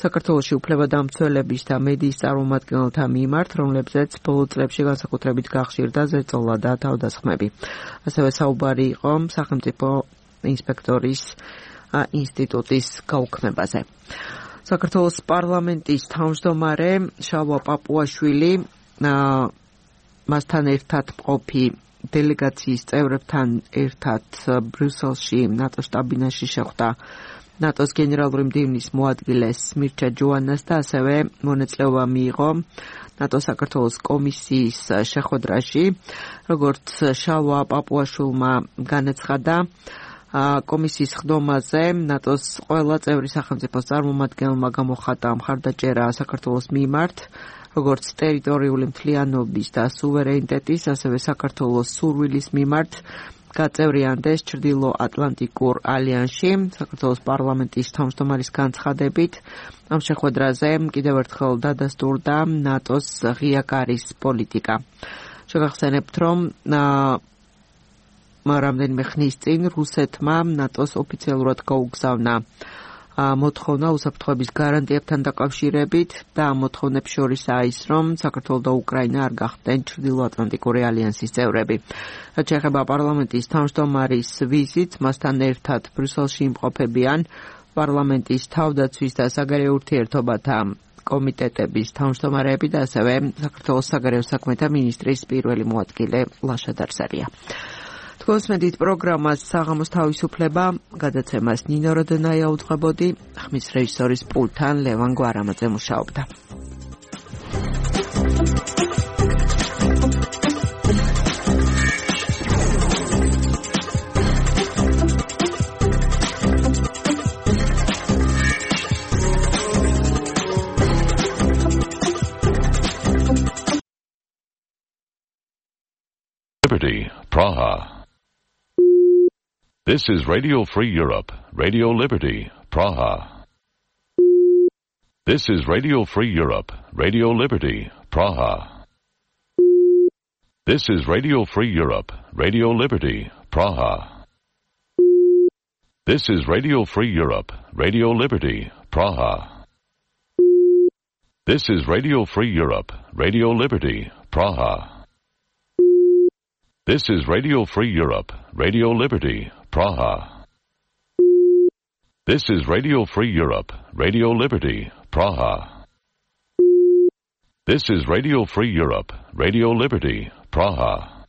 საქართველოში უფლებადამცველების და მედიის წარმომადგენელთა მიმართ, რომლებზეც ბოლო წლებში განსაკუთრებით გახშირდა ზეწოლა და თავდასხმები. ასევე საუბარი იყო სახელმწიფო ინსპექტორის ინსტიტუტის გაუქმებაზე. საქართველოს პარლამენტის თავმჯდომარე შალვა პაპუაშვილი მასთან ერთად მყოფი დელეგაციის წევრებთან ერთად ბრიუსელში ნატოს შტაბ-ბინაში შეხვდა ნატოს გენერალური მდივნის მოადგილეს მირჩა ჯოანას და ასევე მონაწილეობა მიიღო ნატოს საქართველოს კომისიის შეხვედრაში. როგორც შალვა პაპუაშვილმა განაცხადა, კომისიის ხდომაზე ნატოს ყველა წევრი სახელმწიფოს წარმომადგენელმა გამოხატა მხარდაჭერა საქართველოს მიმართ, როგორც ტერიტორიული მთლიანობის და სუვერენიტეტის, ასევე საქართველოს სურვილის მიმართ გაწევრიანდეს ჩრდილო-ატლანტიკურ ალიანსში. საქართველოს პარლამენტის თავმჯდომარის განცხადებით ამ შეხვედრაზე კიდევ ერთხელ დადასტურდა ნატოს ღია კარის პოლიტიკა. შეგახსენებთ, რომ რამდენიმე ხნის წინ რუსეთმა ნატოს ოფიციალურად გაუგზავნა მოთხოვნა უსაფრთხოების გარანტიებთან დაკავშირებით და ამ მოთხოვნებს შორისაა ის, რომ საქართველო და უკრაინა არ გახდნენ ჩრდილო-ატლანტიკური ალიანსის წევრები. რაც შეეხება პარლამენტის თავმჯდომარის ვიზიტს, მასთან ერთად ბრიუსელში იმყოფებიან პარლამენტის თავდაცვის და საგარეო ურთიერთობათა კომიტეტების თავმჯდომარეები და ასევე საქართველოს საგარეო საქმეთა მინისტრის პირველი მოადგილე ლაშა დარსარია. თქვენსმენთ პროგრამას საღამოს თავისუფლება, გადაცემას ნინო როდენაია უძღვებოდი, ხმის რეჟისორის პულტთან ლევან გვარამაძე მუშაობდა. Liberty, Praha. This is Radio Free Europe, Radio Liberty, Praha. This is Radio Free Europe, Radio Liberty, Praha. This is Radio Free Europe, Radio Liberty, Praha. This is Radio Free Europe, Radio Liberty, Praha. This is Radio Free Europe, Radio Liberty, Praha. This is Radio Free Europe, Radio Liberty, Praha. This is Radio Free Europe, Radio Liberty, Praha. This is Radio Free Europe, Radio Liberty, Praha.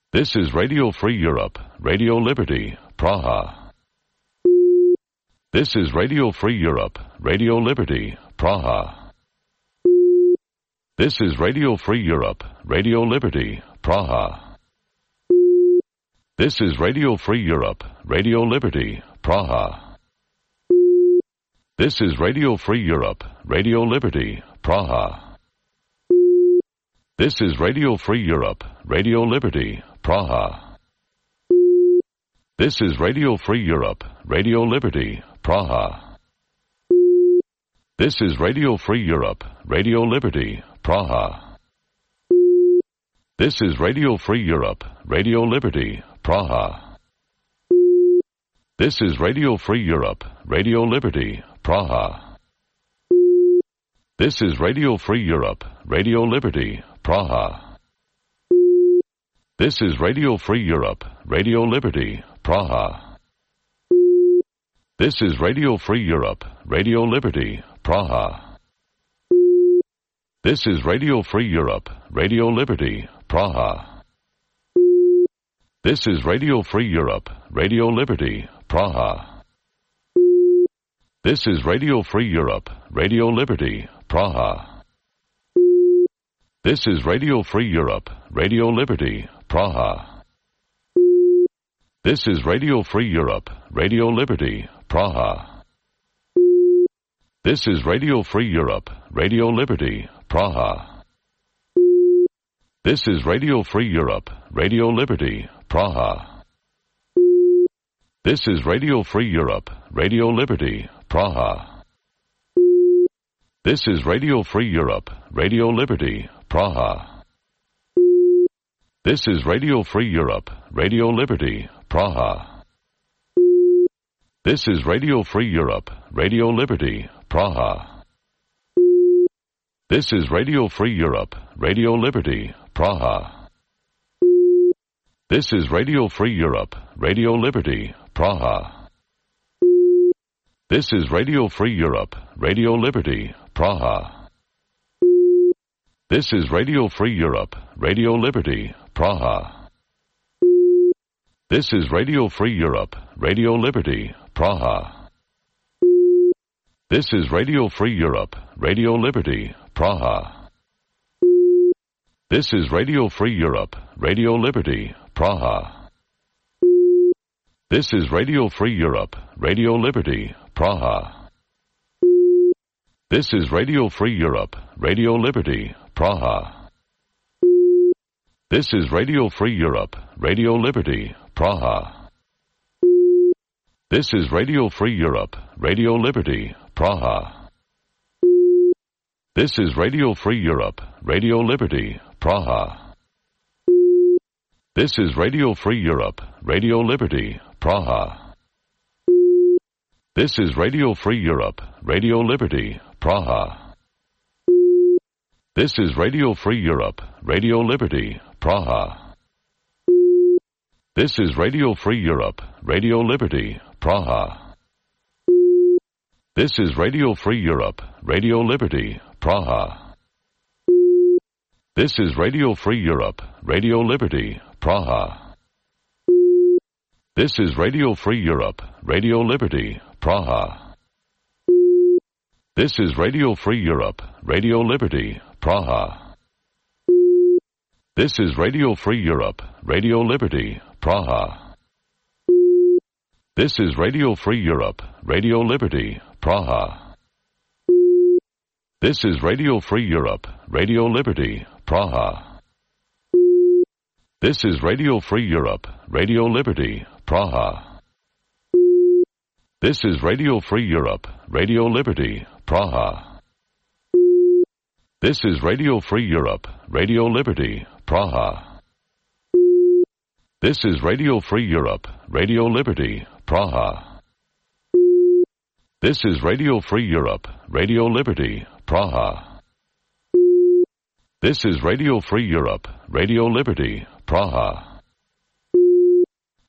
This is Radio Free Europe, Radio Liberty, Praha. This is Radio Free Europe, Radio Liberty, Praha. This is Radio Free Europe, Radio Liberty, Praha. This is Radio Free Europe, Radio Liberty, Praha. This is Radio Free Europe, Radio Liberty, Praha. This is Radio Free Europe, Radio Liberty, Praha. This is Radio Free Europe, Radio Liberty, Praha. This is Radio Free Europe, Radio Liberty, Praha. This is Radio Free Europe, Radio Liberty, Praha. This is Radio Free Europe, Radio Liberty, Praha. This is Radio Free Europe, Radio Liberty, Praha. This is Radio Free Europe, Radio Liberty, Praha. This is Radio Free Europe, Radio Liberty, Praha. This is Radio Free Europe, Radio Liberty, Praha. This is Radio Free Europe, Radio Liberty, Praha. This is Radio Free Europe, Radio Liberty, Praha. This is Radio Free Europe, Radio Liberty, Praha. This is Radio Free Europe, Radio Liberty, Praha. This is Radio Free Europe, Radio Liberty, Praha. This is Radio Free Europe, Radio Liberty, Praha. This is Radio Free Europe, Radio Liberty, Praha. This is Radio Free Europe, Radio Liberty, Praha. This is Radio Free Europe, Radio Liberty, Praha. This is Radio Free Europe, Radio Liberty, Praha. This is Radio Free Europe, Radio Liberty, Praha. This is Radio Free Europe, Radio Liberty, Praha. This is Radio Free Europe, Radio Liberty, Praha. This is Radio Free Europe, Radio Liberty, Praha. This is Radio Free Europe, Radio Liberty, Praha. This is Radio Free Europe, Radio Liberty, Praha. This is Radio Free Europe, Radio Liberty, Praha. This is Radio Free Europe, Radio Liberty, Praha. This is Radio Free Europe, Radio Liberty, Praha. This is Radio Free Europe, Radio Liberty, Praha. This is Radio Free Europe, Radio Liberty, Praha. This is Radio Free Europe, Radio Liberty, Praha. This is Radio Free Europe, Radio Liberty, Praha. This is Radio Free Europe, Radio Liberty, Praha. This is Radio Free Europe, Radio Liberty, Praha. This is Radio Free Europe, Radio Liberty, Praha. This is Radio Free Europe, Radio Liberty, Praha. This is Radio Free Europe, Radio Liberty, Praha. This is Radio Free Europe, Radio Liberty, Praha. This is Radio Free Europe, Radio Liberty, Praha. This is Radio Free Europe, Radio Liberty, Praha. This is Radio Free Europe, Radio Liberty, Praha. This is Radio Free Europe, Radio Liberty, Praha. This is Radio Free Europe, Radio Liberty, Praha. This is Radio Free Europe, Radio Liberty, Praha. This is Radio Free Europe, Radio Liberty, Praha. This is Radio Free Europe, Radio Liberty, Praha. This is Radio Free Europe, Radio Liberty, Praha. This is Radio Free Europe, Radio Liberty, Praha.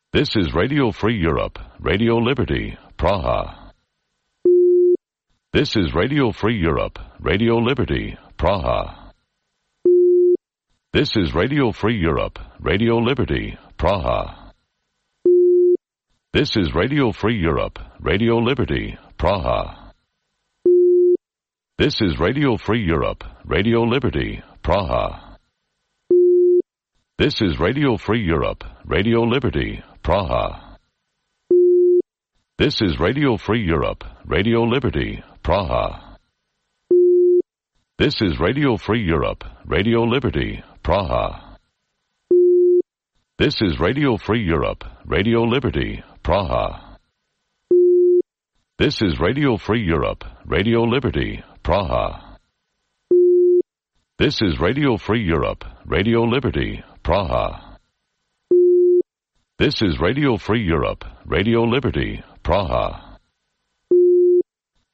This is Radio Free Europe, Radio Liberty, Praha. This is Radio Free Europe, Radio Liberty, Praha. This is Radio Free Europe, Radio Liberty, Praha. This is Radio Free Europe, Radio Liberty, Praha. This is Radio Free Europe, Radio Liberty, Praha. This is Radio Free Europe, Radio Liberty, Praha. This is Radio Free Europe, Radio Liberty, Praha. This is Radio Free Europe, Radio Liberty, Praha. This is Radio Free Europe, Radio Liberty, Praha. This is Radio Free Europe, Radio Liberty, Praha. This is Radio Free Europe, Radio Liberty, Praha. This is Radio Free Europe, Radio Liberty, Praha.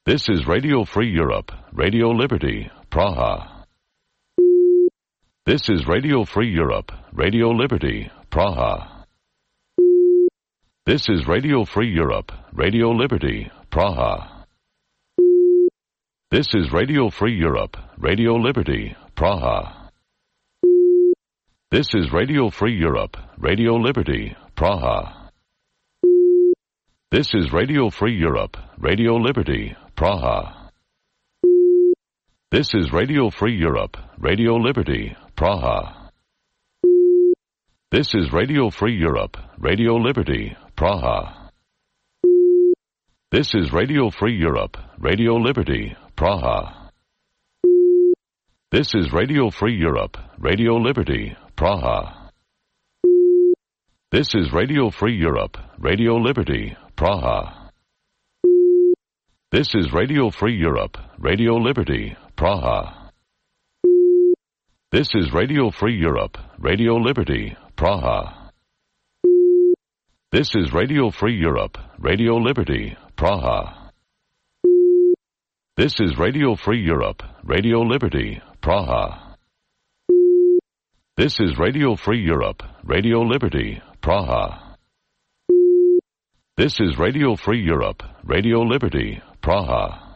This is Radio Free Europe, Radio Liberty, Praha. This is Radio Free Europe, Radio Liberty, Praha. This is Radio Free Europe, Radio Liberty, Praha. This is Radio Free Europe, Radio Liberty, Praha. This is Radio Free Europe, Radio Liberty, Praha. This is Radio Free Europe, Radio Liberty, Praha. This is Radio Free Europe, Radio Liberty, Praha. This is Radio Free Europe, Radio Liberty, Praha. This is Radio Free Europe, Radio Liberty, Praha. This is Radio Free Europe, Radio Liberty, Praha. This is Radio Free Europe, Radio Liberty, Praha. This is Radio Free Europe, Radio Liberty, Praha. This is Radio Free Europe, Radio Liberty, Praha. This is Radio Free Europe, Radio Liberty, Praha. This is Radio Free Europe, Radio Liberty, Praha. This is Radio Free Europe, Radio Liberty, Praha. This is Radio Free Europe, Radio Liberty, Praha.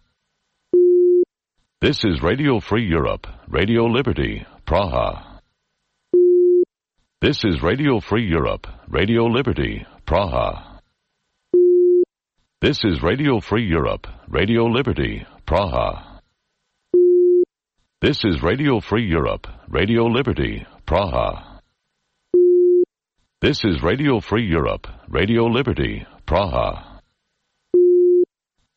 This is Radio Free Europe, Radio Liberty, Praha. This is Radio Free Europe, Radio Liberty, Praha. This is Radio Free Europe, Radio Liberty, Praha. This is Radio Free Europe, Radio Liberty, Praha. This is Radio Free Europe, Radio Liberty, Praha.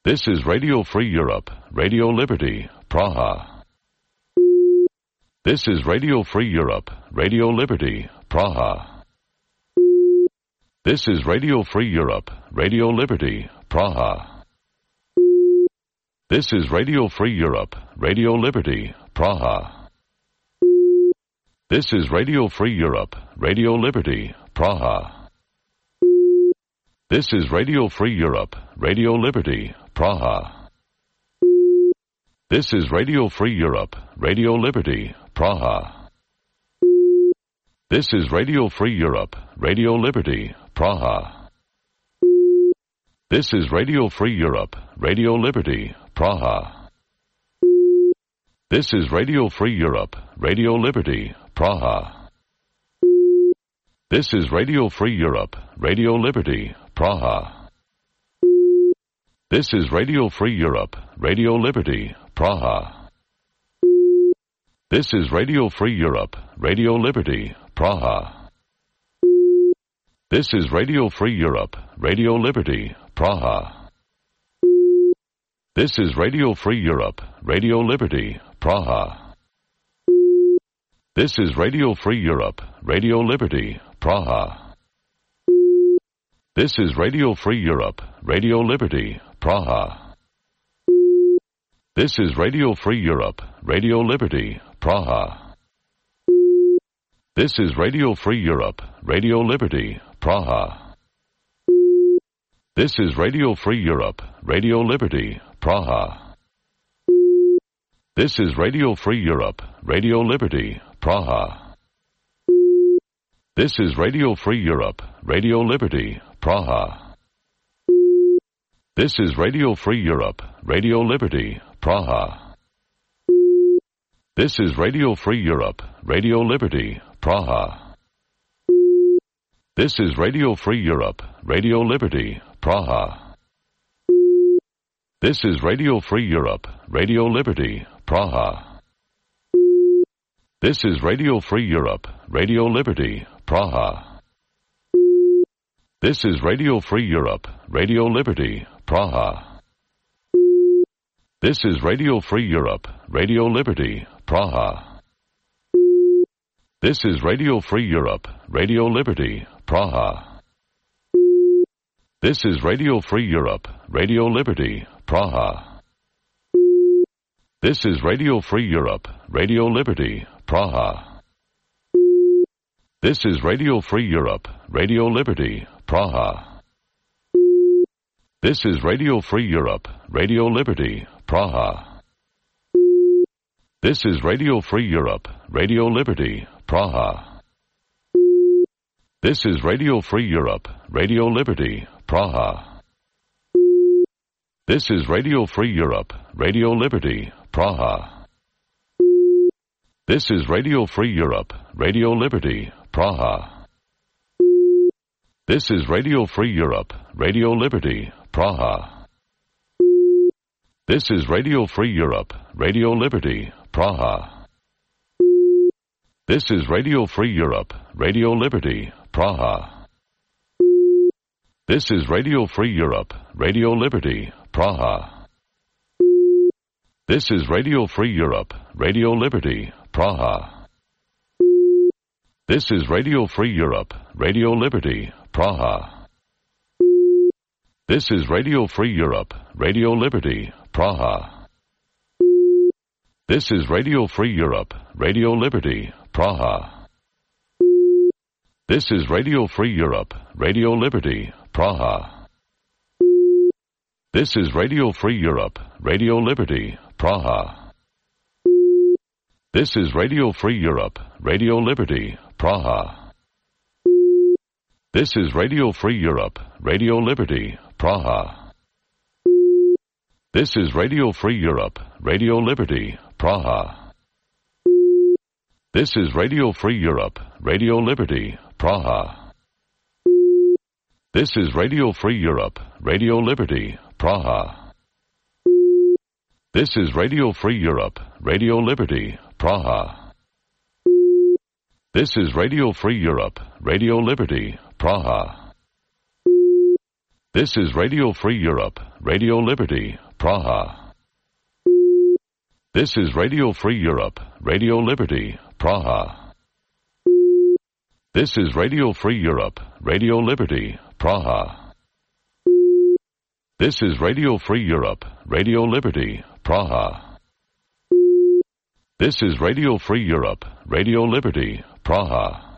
This is Radio Free Europe, Radio Liberty, Praha. This is Radio Free Europe, Radio Liberty, Praha. This is Radio Free Europe, Radio Liberty, Praha. This is Radio Free Europe, Radio Liberty, Praha. This is Radio Free Europe, Radio Liberty, Praha. This is Radio Free Europe, Radio Liberty, Praha. This is Radio Free Europe, Radio Liberty, Praha. This is Radio Free Europe, Radio Liberty, Praha. This is Radio Free Europe, Radio Liberty, Praha. This is Radio Free Europe, Radio Liberty, Praha. This is Radio Free Europe, Radio Liberty, Praha. This is Radio Free Europe, Radio Liberty, Praha. This is Radio Free Europe, Radio Liberty, Praha. This is Radio Free Europe, Radio Liberty, Praha. This is Radio Free Europe, Radio Liberty, Praha. This is Radio Free Europe, Radio Liberty, Praha. This is Radio Free Europe, Radio Liberty, Praha. This is Radio Free Europe, Radio Liberty, Praha. This is Radio Free Europe, Radio Liberty, Praha. This is Radio Free Europe, Radio Liberty, Praha. This is Radio Free Europe, Radio Liberty, Praha. This is Radio Free Europe, Radio Liberty, Praha. This is Radio Free Europe, Radio Liberty, Praha. This is Radio Free Europe, Radio Liberty, Praha. This is Radio Free Europe, Radio Liberty, Praha. This is Radio Free Europe, Radio Liberty, Praha. This is Radio Free Europe, Radio Liberty, Praha. This is Radio Free Europe, Radio Liberty, Praha. This is Radio Free Europe, Radio Liberty, Praha. This is Radio Free Europe, Radio Liberty, Praha. This is Radio Free Europe, Radio Liberty, Praha. This is Radio Free Europe, Radio Liberty, Praha. This is Radio Free Europe, Radio Liberty, Praha. This is Radio Free Europe, Radio Liberty, Praha. This is Radio Free Europe, Radio Liberty, Praha. This is Radio Free Europe, Radio Liberty, Praha. This is Radio Free Europe, Radio Liberty, Praha. This is Radio Free Europe, Radio Liberty, Praha. This is Radio Free Europe, Radio Liberty, Praha. This is Radio Free Europe, Radio Liberty, Praha. This is Radio Free Europe, Radio Liberty, Praha. This is Radio Free Europe, Radio Liberty, Praha. This is Radio Free Europe, Radio Liberty, Praha. This is Radio Free Europe, Radio Liberty, Praha. This is Radio Free Europe, Radio Liberty, Praha. This is Radio Free Europe, Radio Liberty, Praha. This is Radio Free Europe, Radio Liberty, Praha. This is Radio Free Europe, Radio Liberty, Praha. This is Radio Free Europe, Radio Liberty, Praha. This is Radio Free Europe, Radio Liberty, Praha. This is Radio Free Europe, Radio Liberty, Praha. This is Radio Free Europe, Radio Liberty, Praha. This is Radio Free Europe, Radio Liberty, Praha. This is Radio Free Europe, Radio Liberty, Praha. This is Radio Free Europe, Radio Liberty, Praha. This is Radio Free Europe, Radio Liberty, Praha. This is Radio Free Europe, Radio Liberty, Praha. This is Radio Free Europe, Radio Liberty, Praha. This is Radio Free Europe, Radio Liberty, Praha. This is Radio Free Europe, Radio Liberty, Praha.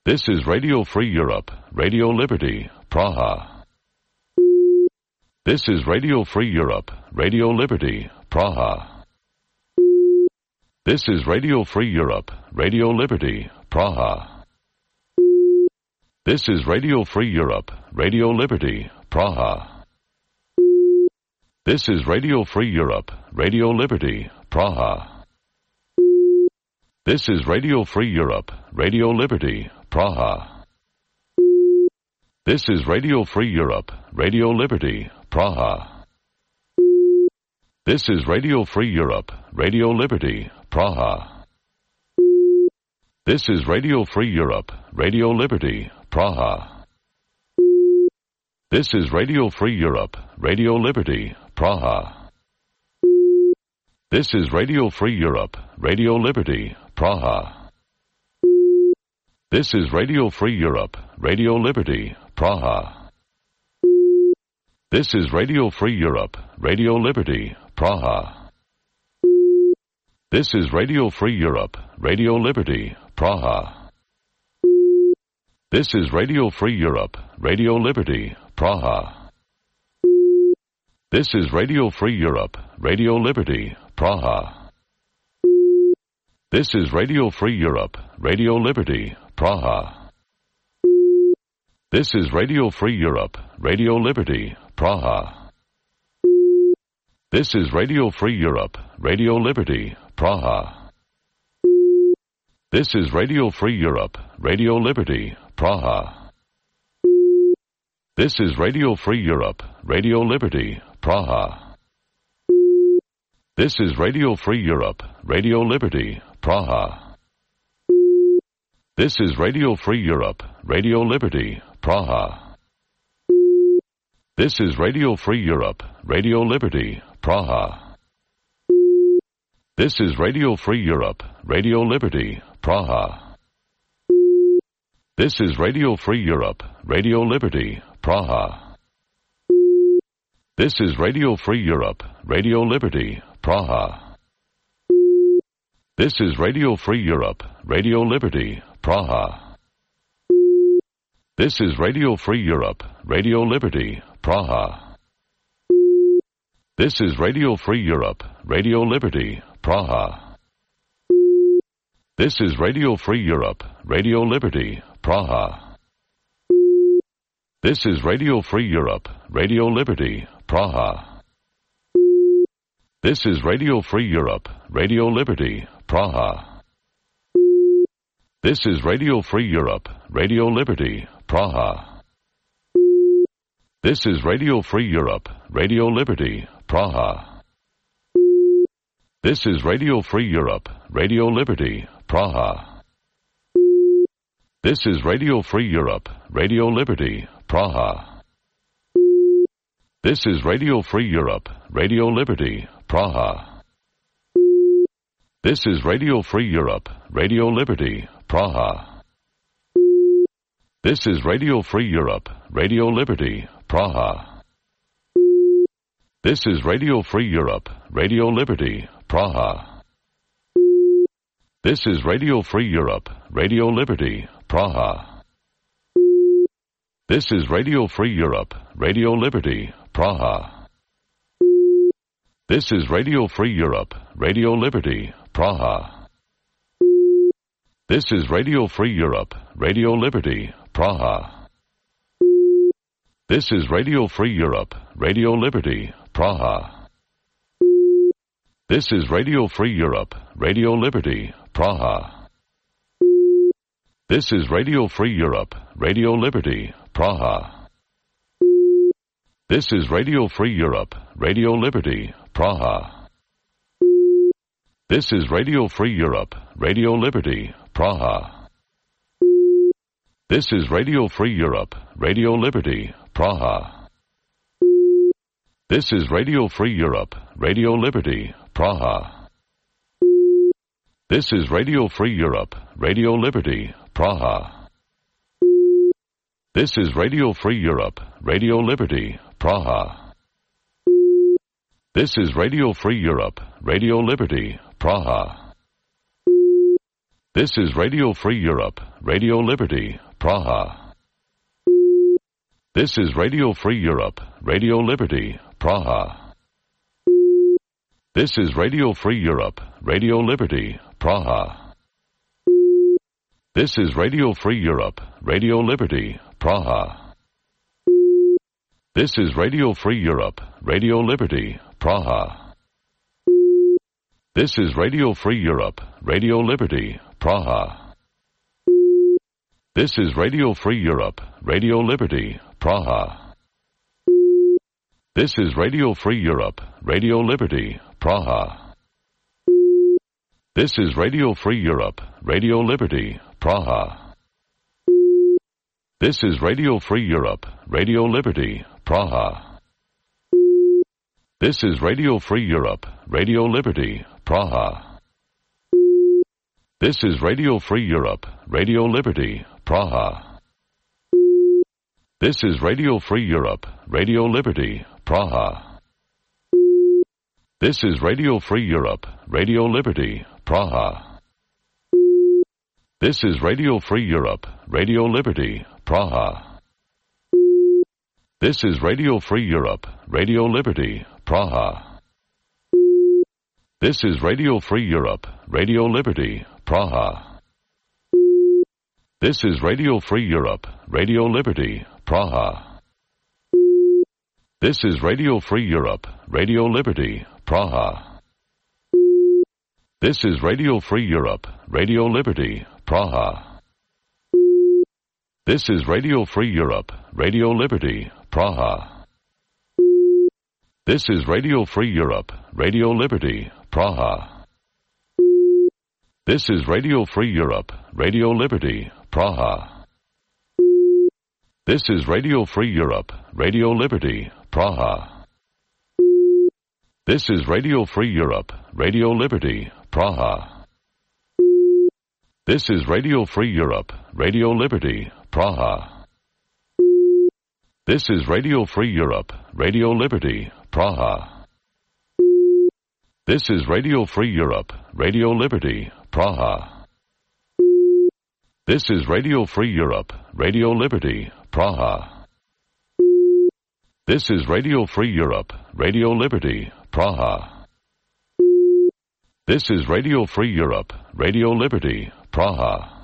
This is Radio Free Europe, Radio Liberty, Praha. This is Radio Free Europe, Radio Liberty, Praha. This is Radio Free Europe, Radio Liberty, Praha. This is Radio Free Europe, Radio Liberty, Praha. This is Radio Free Europe, Radio Liberty, Praha. This is Radio Free Europe, Radio Liberty, Praha. This is Radio Free Europe, Radio Liberty, Praha. This is Radio Free Europe, Radio Liberty, Praha. This is Radio Free Europe, Radio Liberty, Praha. This is Radio Free Europe, Radio Liberty, Praha. This is Radio Free Europe, Radio Liberty, Praha. This is Radio Free Europe, Radio Liberty, Praha. This is Radio Free Europe, Radio Liberty, Praha. This is Radio Free Europe, Radio Liberty, Praha. This is Radio Free Europe, Radio Liberty, Praha. This is Radio Free Europe, Radio Liberty, Praha. This is Radio Free Europe, Radio Liberty, Praha. This is Radio Free Europe, Radio Liberty, Praha. This is Radio Free Europe, Radio Liberty, Praha. This is Radio Free Europe, Radio Liberty, Praha. This is Radio Free Europe, Radio Liberty, Praha. This is Radio Free Europe, Radio Liberty, Praha. This is Radio Free Europe, Radio Liberty, Praha. This is Radio Free Europe, Radio Liberty, Praha. This is Radio Free Europe, Radio Liberty, Praha. This is Radio Free Europe, Radio Liberty, Praha. This is Radio Free Europe, Radio Liberty, Praha. This is Radio Free Europe, Radio Liberty, Praha. This is Radio Free Europe, Radio Liberty, Praha. This is Radio Free Europe, Radio Liberty, Praha. This is Radio Free Europe, Radio Liberty, Praha. This is Radio Free Europe, Radio Liberty, Praha. This is Radio Free Europe, Radio Liberty, Praha. This is Radio Free Europe, Radio Liberty, Praha. This is Radio Free Europe, Radio Liberty, Praha. This is Radio Free Europe, Radio Liberty, Praha. This is Radio Free Europe, Radio Liberty, Praha. This is Radio Free Europe, Radio Liberty, Praha. This is Radio Free Europe, Radio Liberty, Praha. This is Radio Free Europe, Radio Liberty, Praha. This is Radio Free Europe, Radio Liberty, Praha. This is Radio Free Europe, Radio Liberty, Praha. This is Radio Free Europe, Radio Liberty, Praha. This is Radio Free Europe, Radio Liberty, Praha. This is Radio Free Europe, Radio Liberty, Praha. This is Radio Free Europe, Radio Liberty, Praha. This is Radio Free Europe, Radio Liberty, Praha. This is Radio Free Europe, Radio Liberty, Praha. This is Radio Free Europe, Radio Liberty, Praha. This is Radio Free Europe, Radio Liberty, Praha. This is Radio Free Europe, Radio Liberty, Praha. This is Radio Free Europe, Radio Liberty, Praha. This is Radio Free Europe, Radio Liberty, Praha. This is Radio Free Europe, Radio Liberty, Praha. This is Radio Free Europe, Radio Liberty, Praha. This is Radio Free Europe, Radio Liberty, Praha. This is Radio Free Europe, Radio Liberty, Praha. This is Radio Free Europe, Radio Liberty, Praha. This is Radio Free Europe, Radio Liberty, Praha. This is Radio Free Europe, Radio Liberty, Praha. This is Radio Free Europe, Radio Liberty, Praha. This is Radio Free Europe, Radio Liberty, Praha. This is Radio Free Europe, Radio Liberty, Praha. This is Radio Free Europe, Radio Liberty, Praha. This is Radio Free Europe, Radio Liberty, Praha. This is Radio Free Europe, Radio Liberty, Praha. This is Radio Free Europe, Radio Liberty, Praha. This is Radio Free Europe, Radio Liberty, Praha. This is Radio Free Europe, Radio Liberty, Praha. This is Radio Free Europe, Radio Liberty, Praha. This is Radio Free Europe, Radio Liberty, Praha. This is Radio Free Europe, Radio Liberty, Praha. This is Radio Free Europe, Radio Liberty, Praha. This is Radio Free Europe, Radio Liberty, Praha. This is Radio Free Europe, Radio Liberty, Praha. This is Radio Free Europe, Radio Liberty, Praha. This is Radio Free Europe, Radio Liberty, Praha. This is Radio Free Europe, Radio Liberty, Praha. This is Radio Free Europe, Radio Liberty, Praha. This is Radio Free Europe, Radio Liberty, Praha. This is Radio Free Europe, Radio Liberty, Praha. This is Radio Free Europe, Radio Liberty, Praha. This is Radio Free Europe, Radio Liberty, Praha. This is Radio Free Europe, Radio Liberty, Praha. This is Radio Free Europe, Radio Liberty, Praha. This is Radio Free Europe, Radio Liberty, Praha.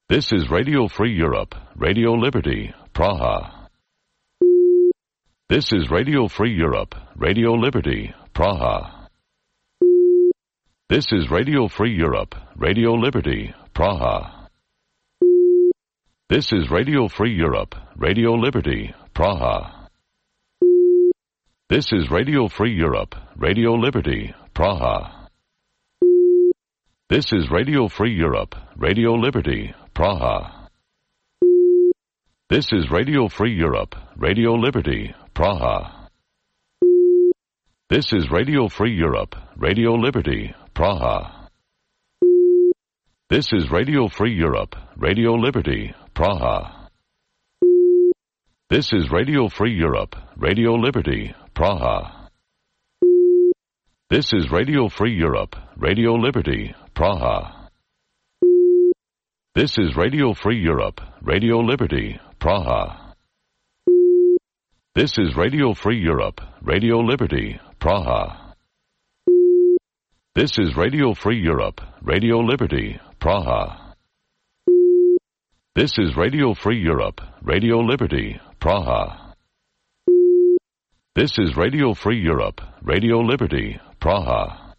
This is Radio Free Europe, Radio Liberty, Praha. This is Radio Free Europe, Radio Liberty, Praha. This is Radio Free Europe, Radio Liberty, Praha. This is Radio Free Europe, Radio Liberty, Praha. This is Radio Free Europe, Radio Liberty, Praha. This is Radio Free Europe, Radio Liberty, Praha. This is Radio Free Europe, Radio Liberty, Praha. This is Radio Free Europe, Radio Liberty, Praha. This is Radio Free Europe, Radio Liberty, Praha. This is Radio Free Europe, Radio Liberty, Praha. This is Radio Free Europe, Radio Liberty, Praha. This is Radio Free Europe, Radio Liberty, Praha. This is Radio Free Europe, Radio Liberty, Praha. This is Radio Free Europe, Radio Liberty, Praha. This is Radio Free Europe, Radio Liberty, Praha. This is Radio Free Europe, Radio Liberty, Praha.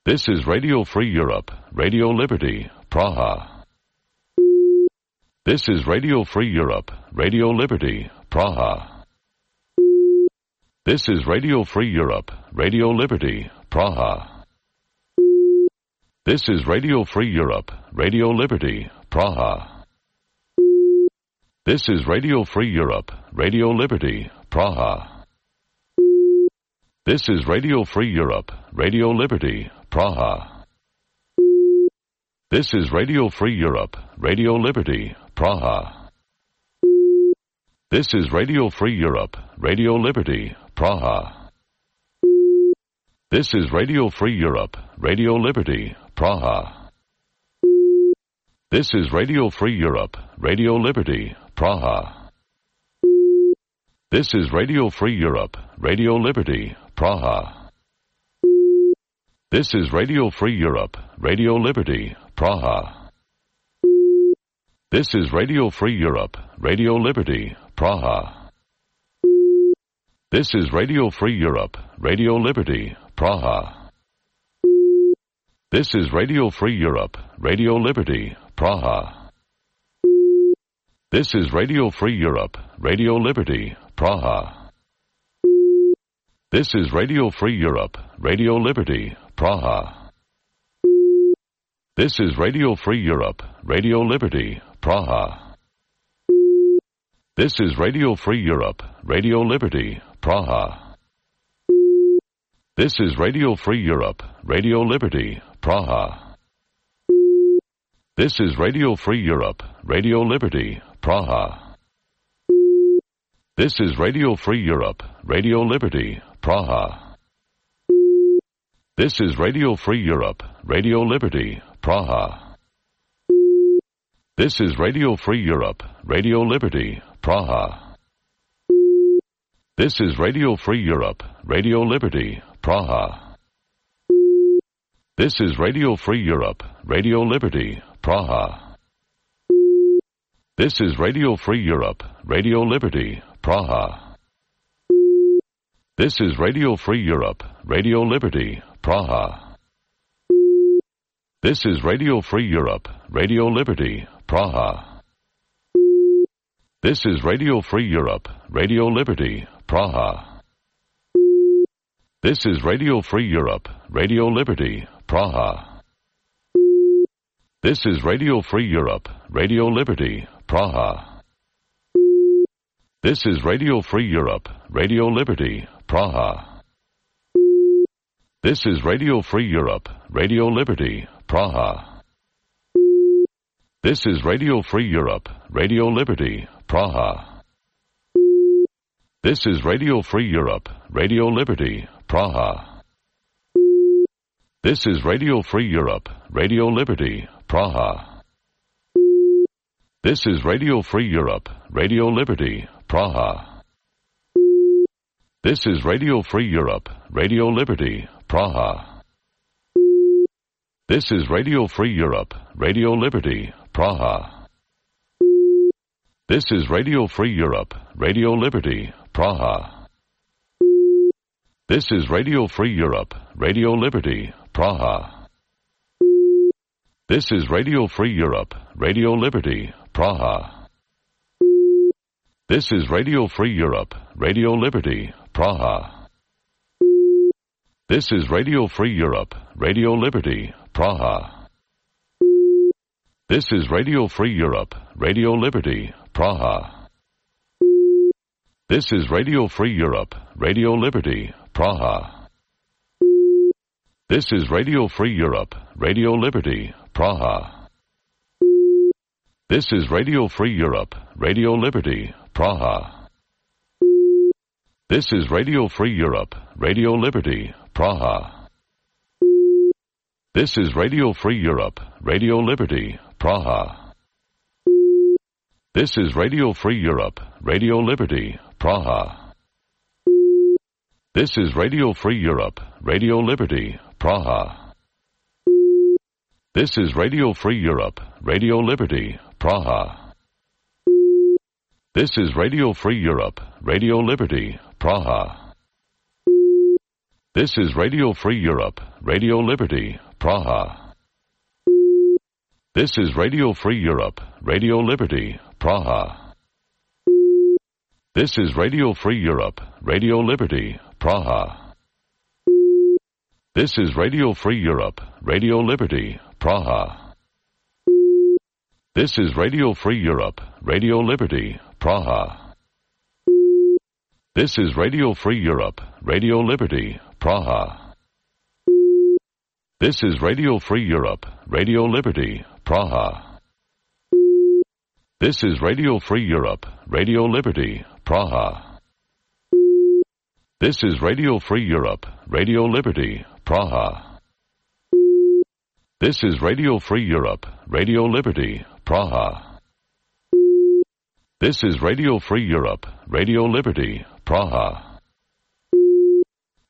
This is Radio Free Europe, Radio Liberty, Praha. This is Radio Free Europe, Radio Liberty, Praha. This is Radio Free Europe, Radio Liberty, Praha. This is Radio Free Europe, Radio Liberty, Praha. This is Radio Free Europe, Radio Liberty, Praha. This is Radio Free Europe, Radio Liberty, Praha. This is Radio Free Europe, Radio Liberty, Praha. This is Radio Free Europe, Radio Liberty, Praha. This is Radio Free Europe, Radio Liberty, Praha. This is Radio Free Europe, Radio Liberty, Praha. This is Radio Free Europe, Radio Liberty, Praha. This is Radio Free Europe, Radio Liberty, Praha. This is Radio Free Europe, Radio Liberty, Praha. This is Radio Free Europe, Radio Liberty, Praha. This is Radio Free Europe, Radio Liberty, Praha. This is Radio Free Europe, Radio Liberty, Praha. This is Radio Free Europe, Radio Liberty, Praha. This is Radio Free Europe, Radio Liberty, Praha. This is Radio Free Europe, Radio Liberty, Praha. This is Radio Free Europe, Radio Liberty, Praha. This is Radio Free Europe, Radio Liberty, Praha. This is Radio Free Europe, Radio Liberty, Praha. This is Radio Free Europe, Radio Liberty, Praha. This is Radio Free Europe, Radio Liberty, Praha. This is Radio Free Europe, Radio Liberty, Praha. This is Radio Free Europe, Radio Liberty, Praha. This is Radio Free Europe, Radio Liberty, Praha. This is Radio Free Europe, Radio Liberty, Praha. This is Radio Free Europe, Radio Liberty, Praha. This is Radio Free Europe, Radio Liberty, Praha. This is Radio Free Europe, Radio Liberty, Praha. This is Radio Free Europe, Radio Liberty, Praha. This is Radio Free Europe, Radio Liberty, Praha. This is Radio Free Europe, Radio Liberty, Praha. This is Radio Free Europe, Radio Liberty, Praha. This is Radio Free Europe, Radio Liberty, Praha. This is Radio Free Europe, Radio Liberty, Praha. This is Radio Free Europe, Radio Liberty, Praha. This is Radio Free Europe, Radio Liberty, Praha. This is Radio Free Europe, Radio Liberty, Praha. This is Radio Free Europe, Radio Liberty, Praha. This is Radio Free Europe, Radio Liberty, Praha. This is Radio Free Europe, Radio Liberty, Praha. This is Radio Free Europe, Radio Liberty, Praha. This is Radio Free Europe, Radio Liberty, Praha. This is Radio Free Europe, Radio Liberty, Praha. This is Radio Free Europe, Radio Liberty, Praha. This is Radio Free Europe, Radio Liberty, Praha. This is Radio Free Europe, Radio Liberty, Praha. This is Radio Free Europe, Radio Liberty, Praha. This is Radio Free Europe, Radio Liberty, Praha. This is Radio Free Europe, Radio Liberty, Praha. This is Radio Free Europe, Radio Liberty, Praha. This is Radio Free Europe, Radio Liberty, Praha. This is Radio Free Europe, Radio Liberty, Praha. This is Radio Free Europe, Radio Liberty, Praha. This is Radio Free Europe, Radio Liberty, Praha. This is Radio Free Europe, Radio Liberty, Praha. This is Radio Free Europe, Radio Liberty, Praha. This is Radio Free Europe, Radio Liberty, Praha. This is Radio Free Europe, Radio Liberty, Praha. This is Radio Free Europe, Radio Liberty, Praha. This is Radio Free Europe, Radio Liberty, Praha. This is Radio Free Europe, Radio Liberty, Praha. This is Radio Free Europe, Radio Liberty, Praha. This is Radio Free Europe, Radio Liberty, Praha.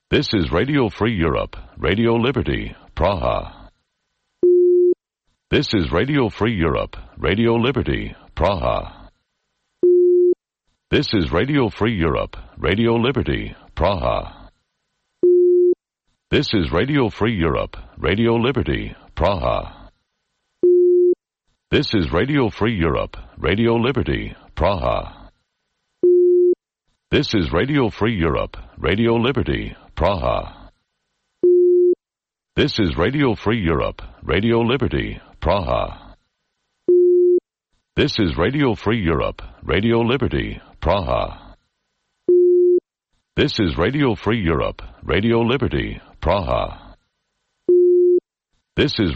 This is Radio Free Europe, Radio Liberty, Praha. This is Radio Free Europe, Radio Liberty, Praha. This is Radio Free Europe, Radio Liberty, Praha. This is Radio Free Europe, Radio Liberty, Praha. This is Radio Free Europe, Radio Liberty, Praha. This is Radio Free Europe, Radio Liberty, Praha. This is Radio Free Europe, Radio Liberty, Praha. This is Radio Free Europe, Radio Liberty, Praha. This is Radio Free Europe, Radio Liberty, Praha. This is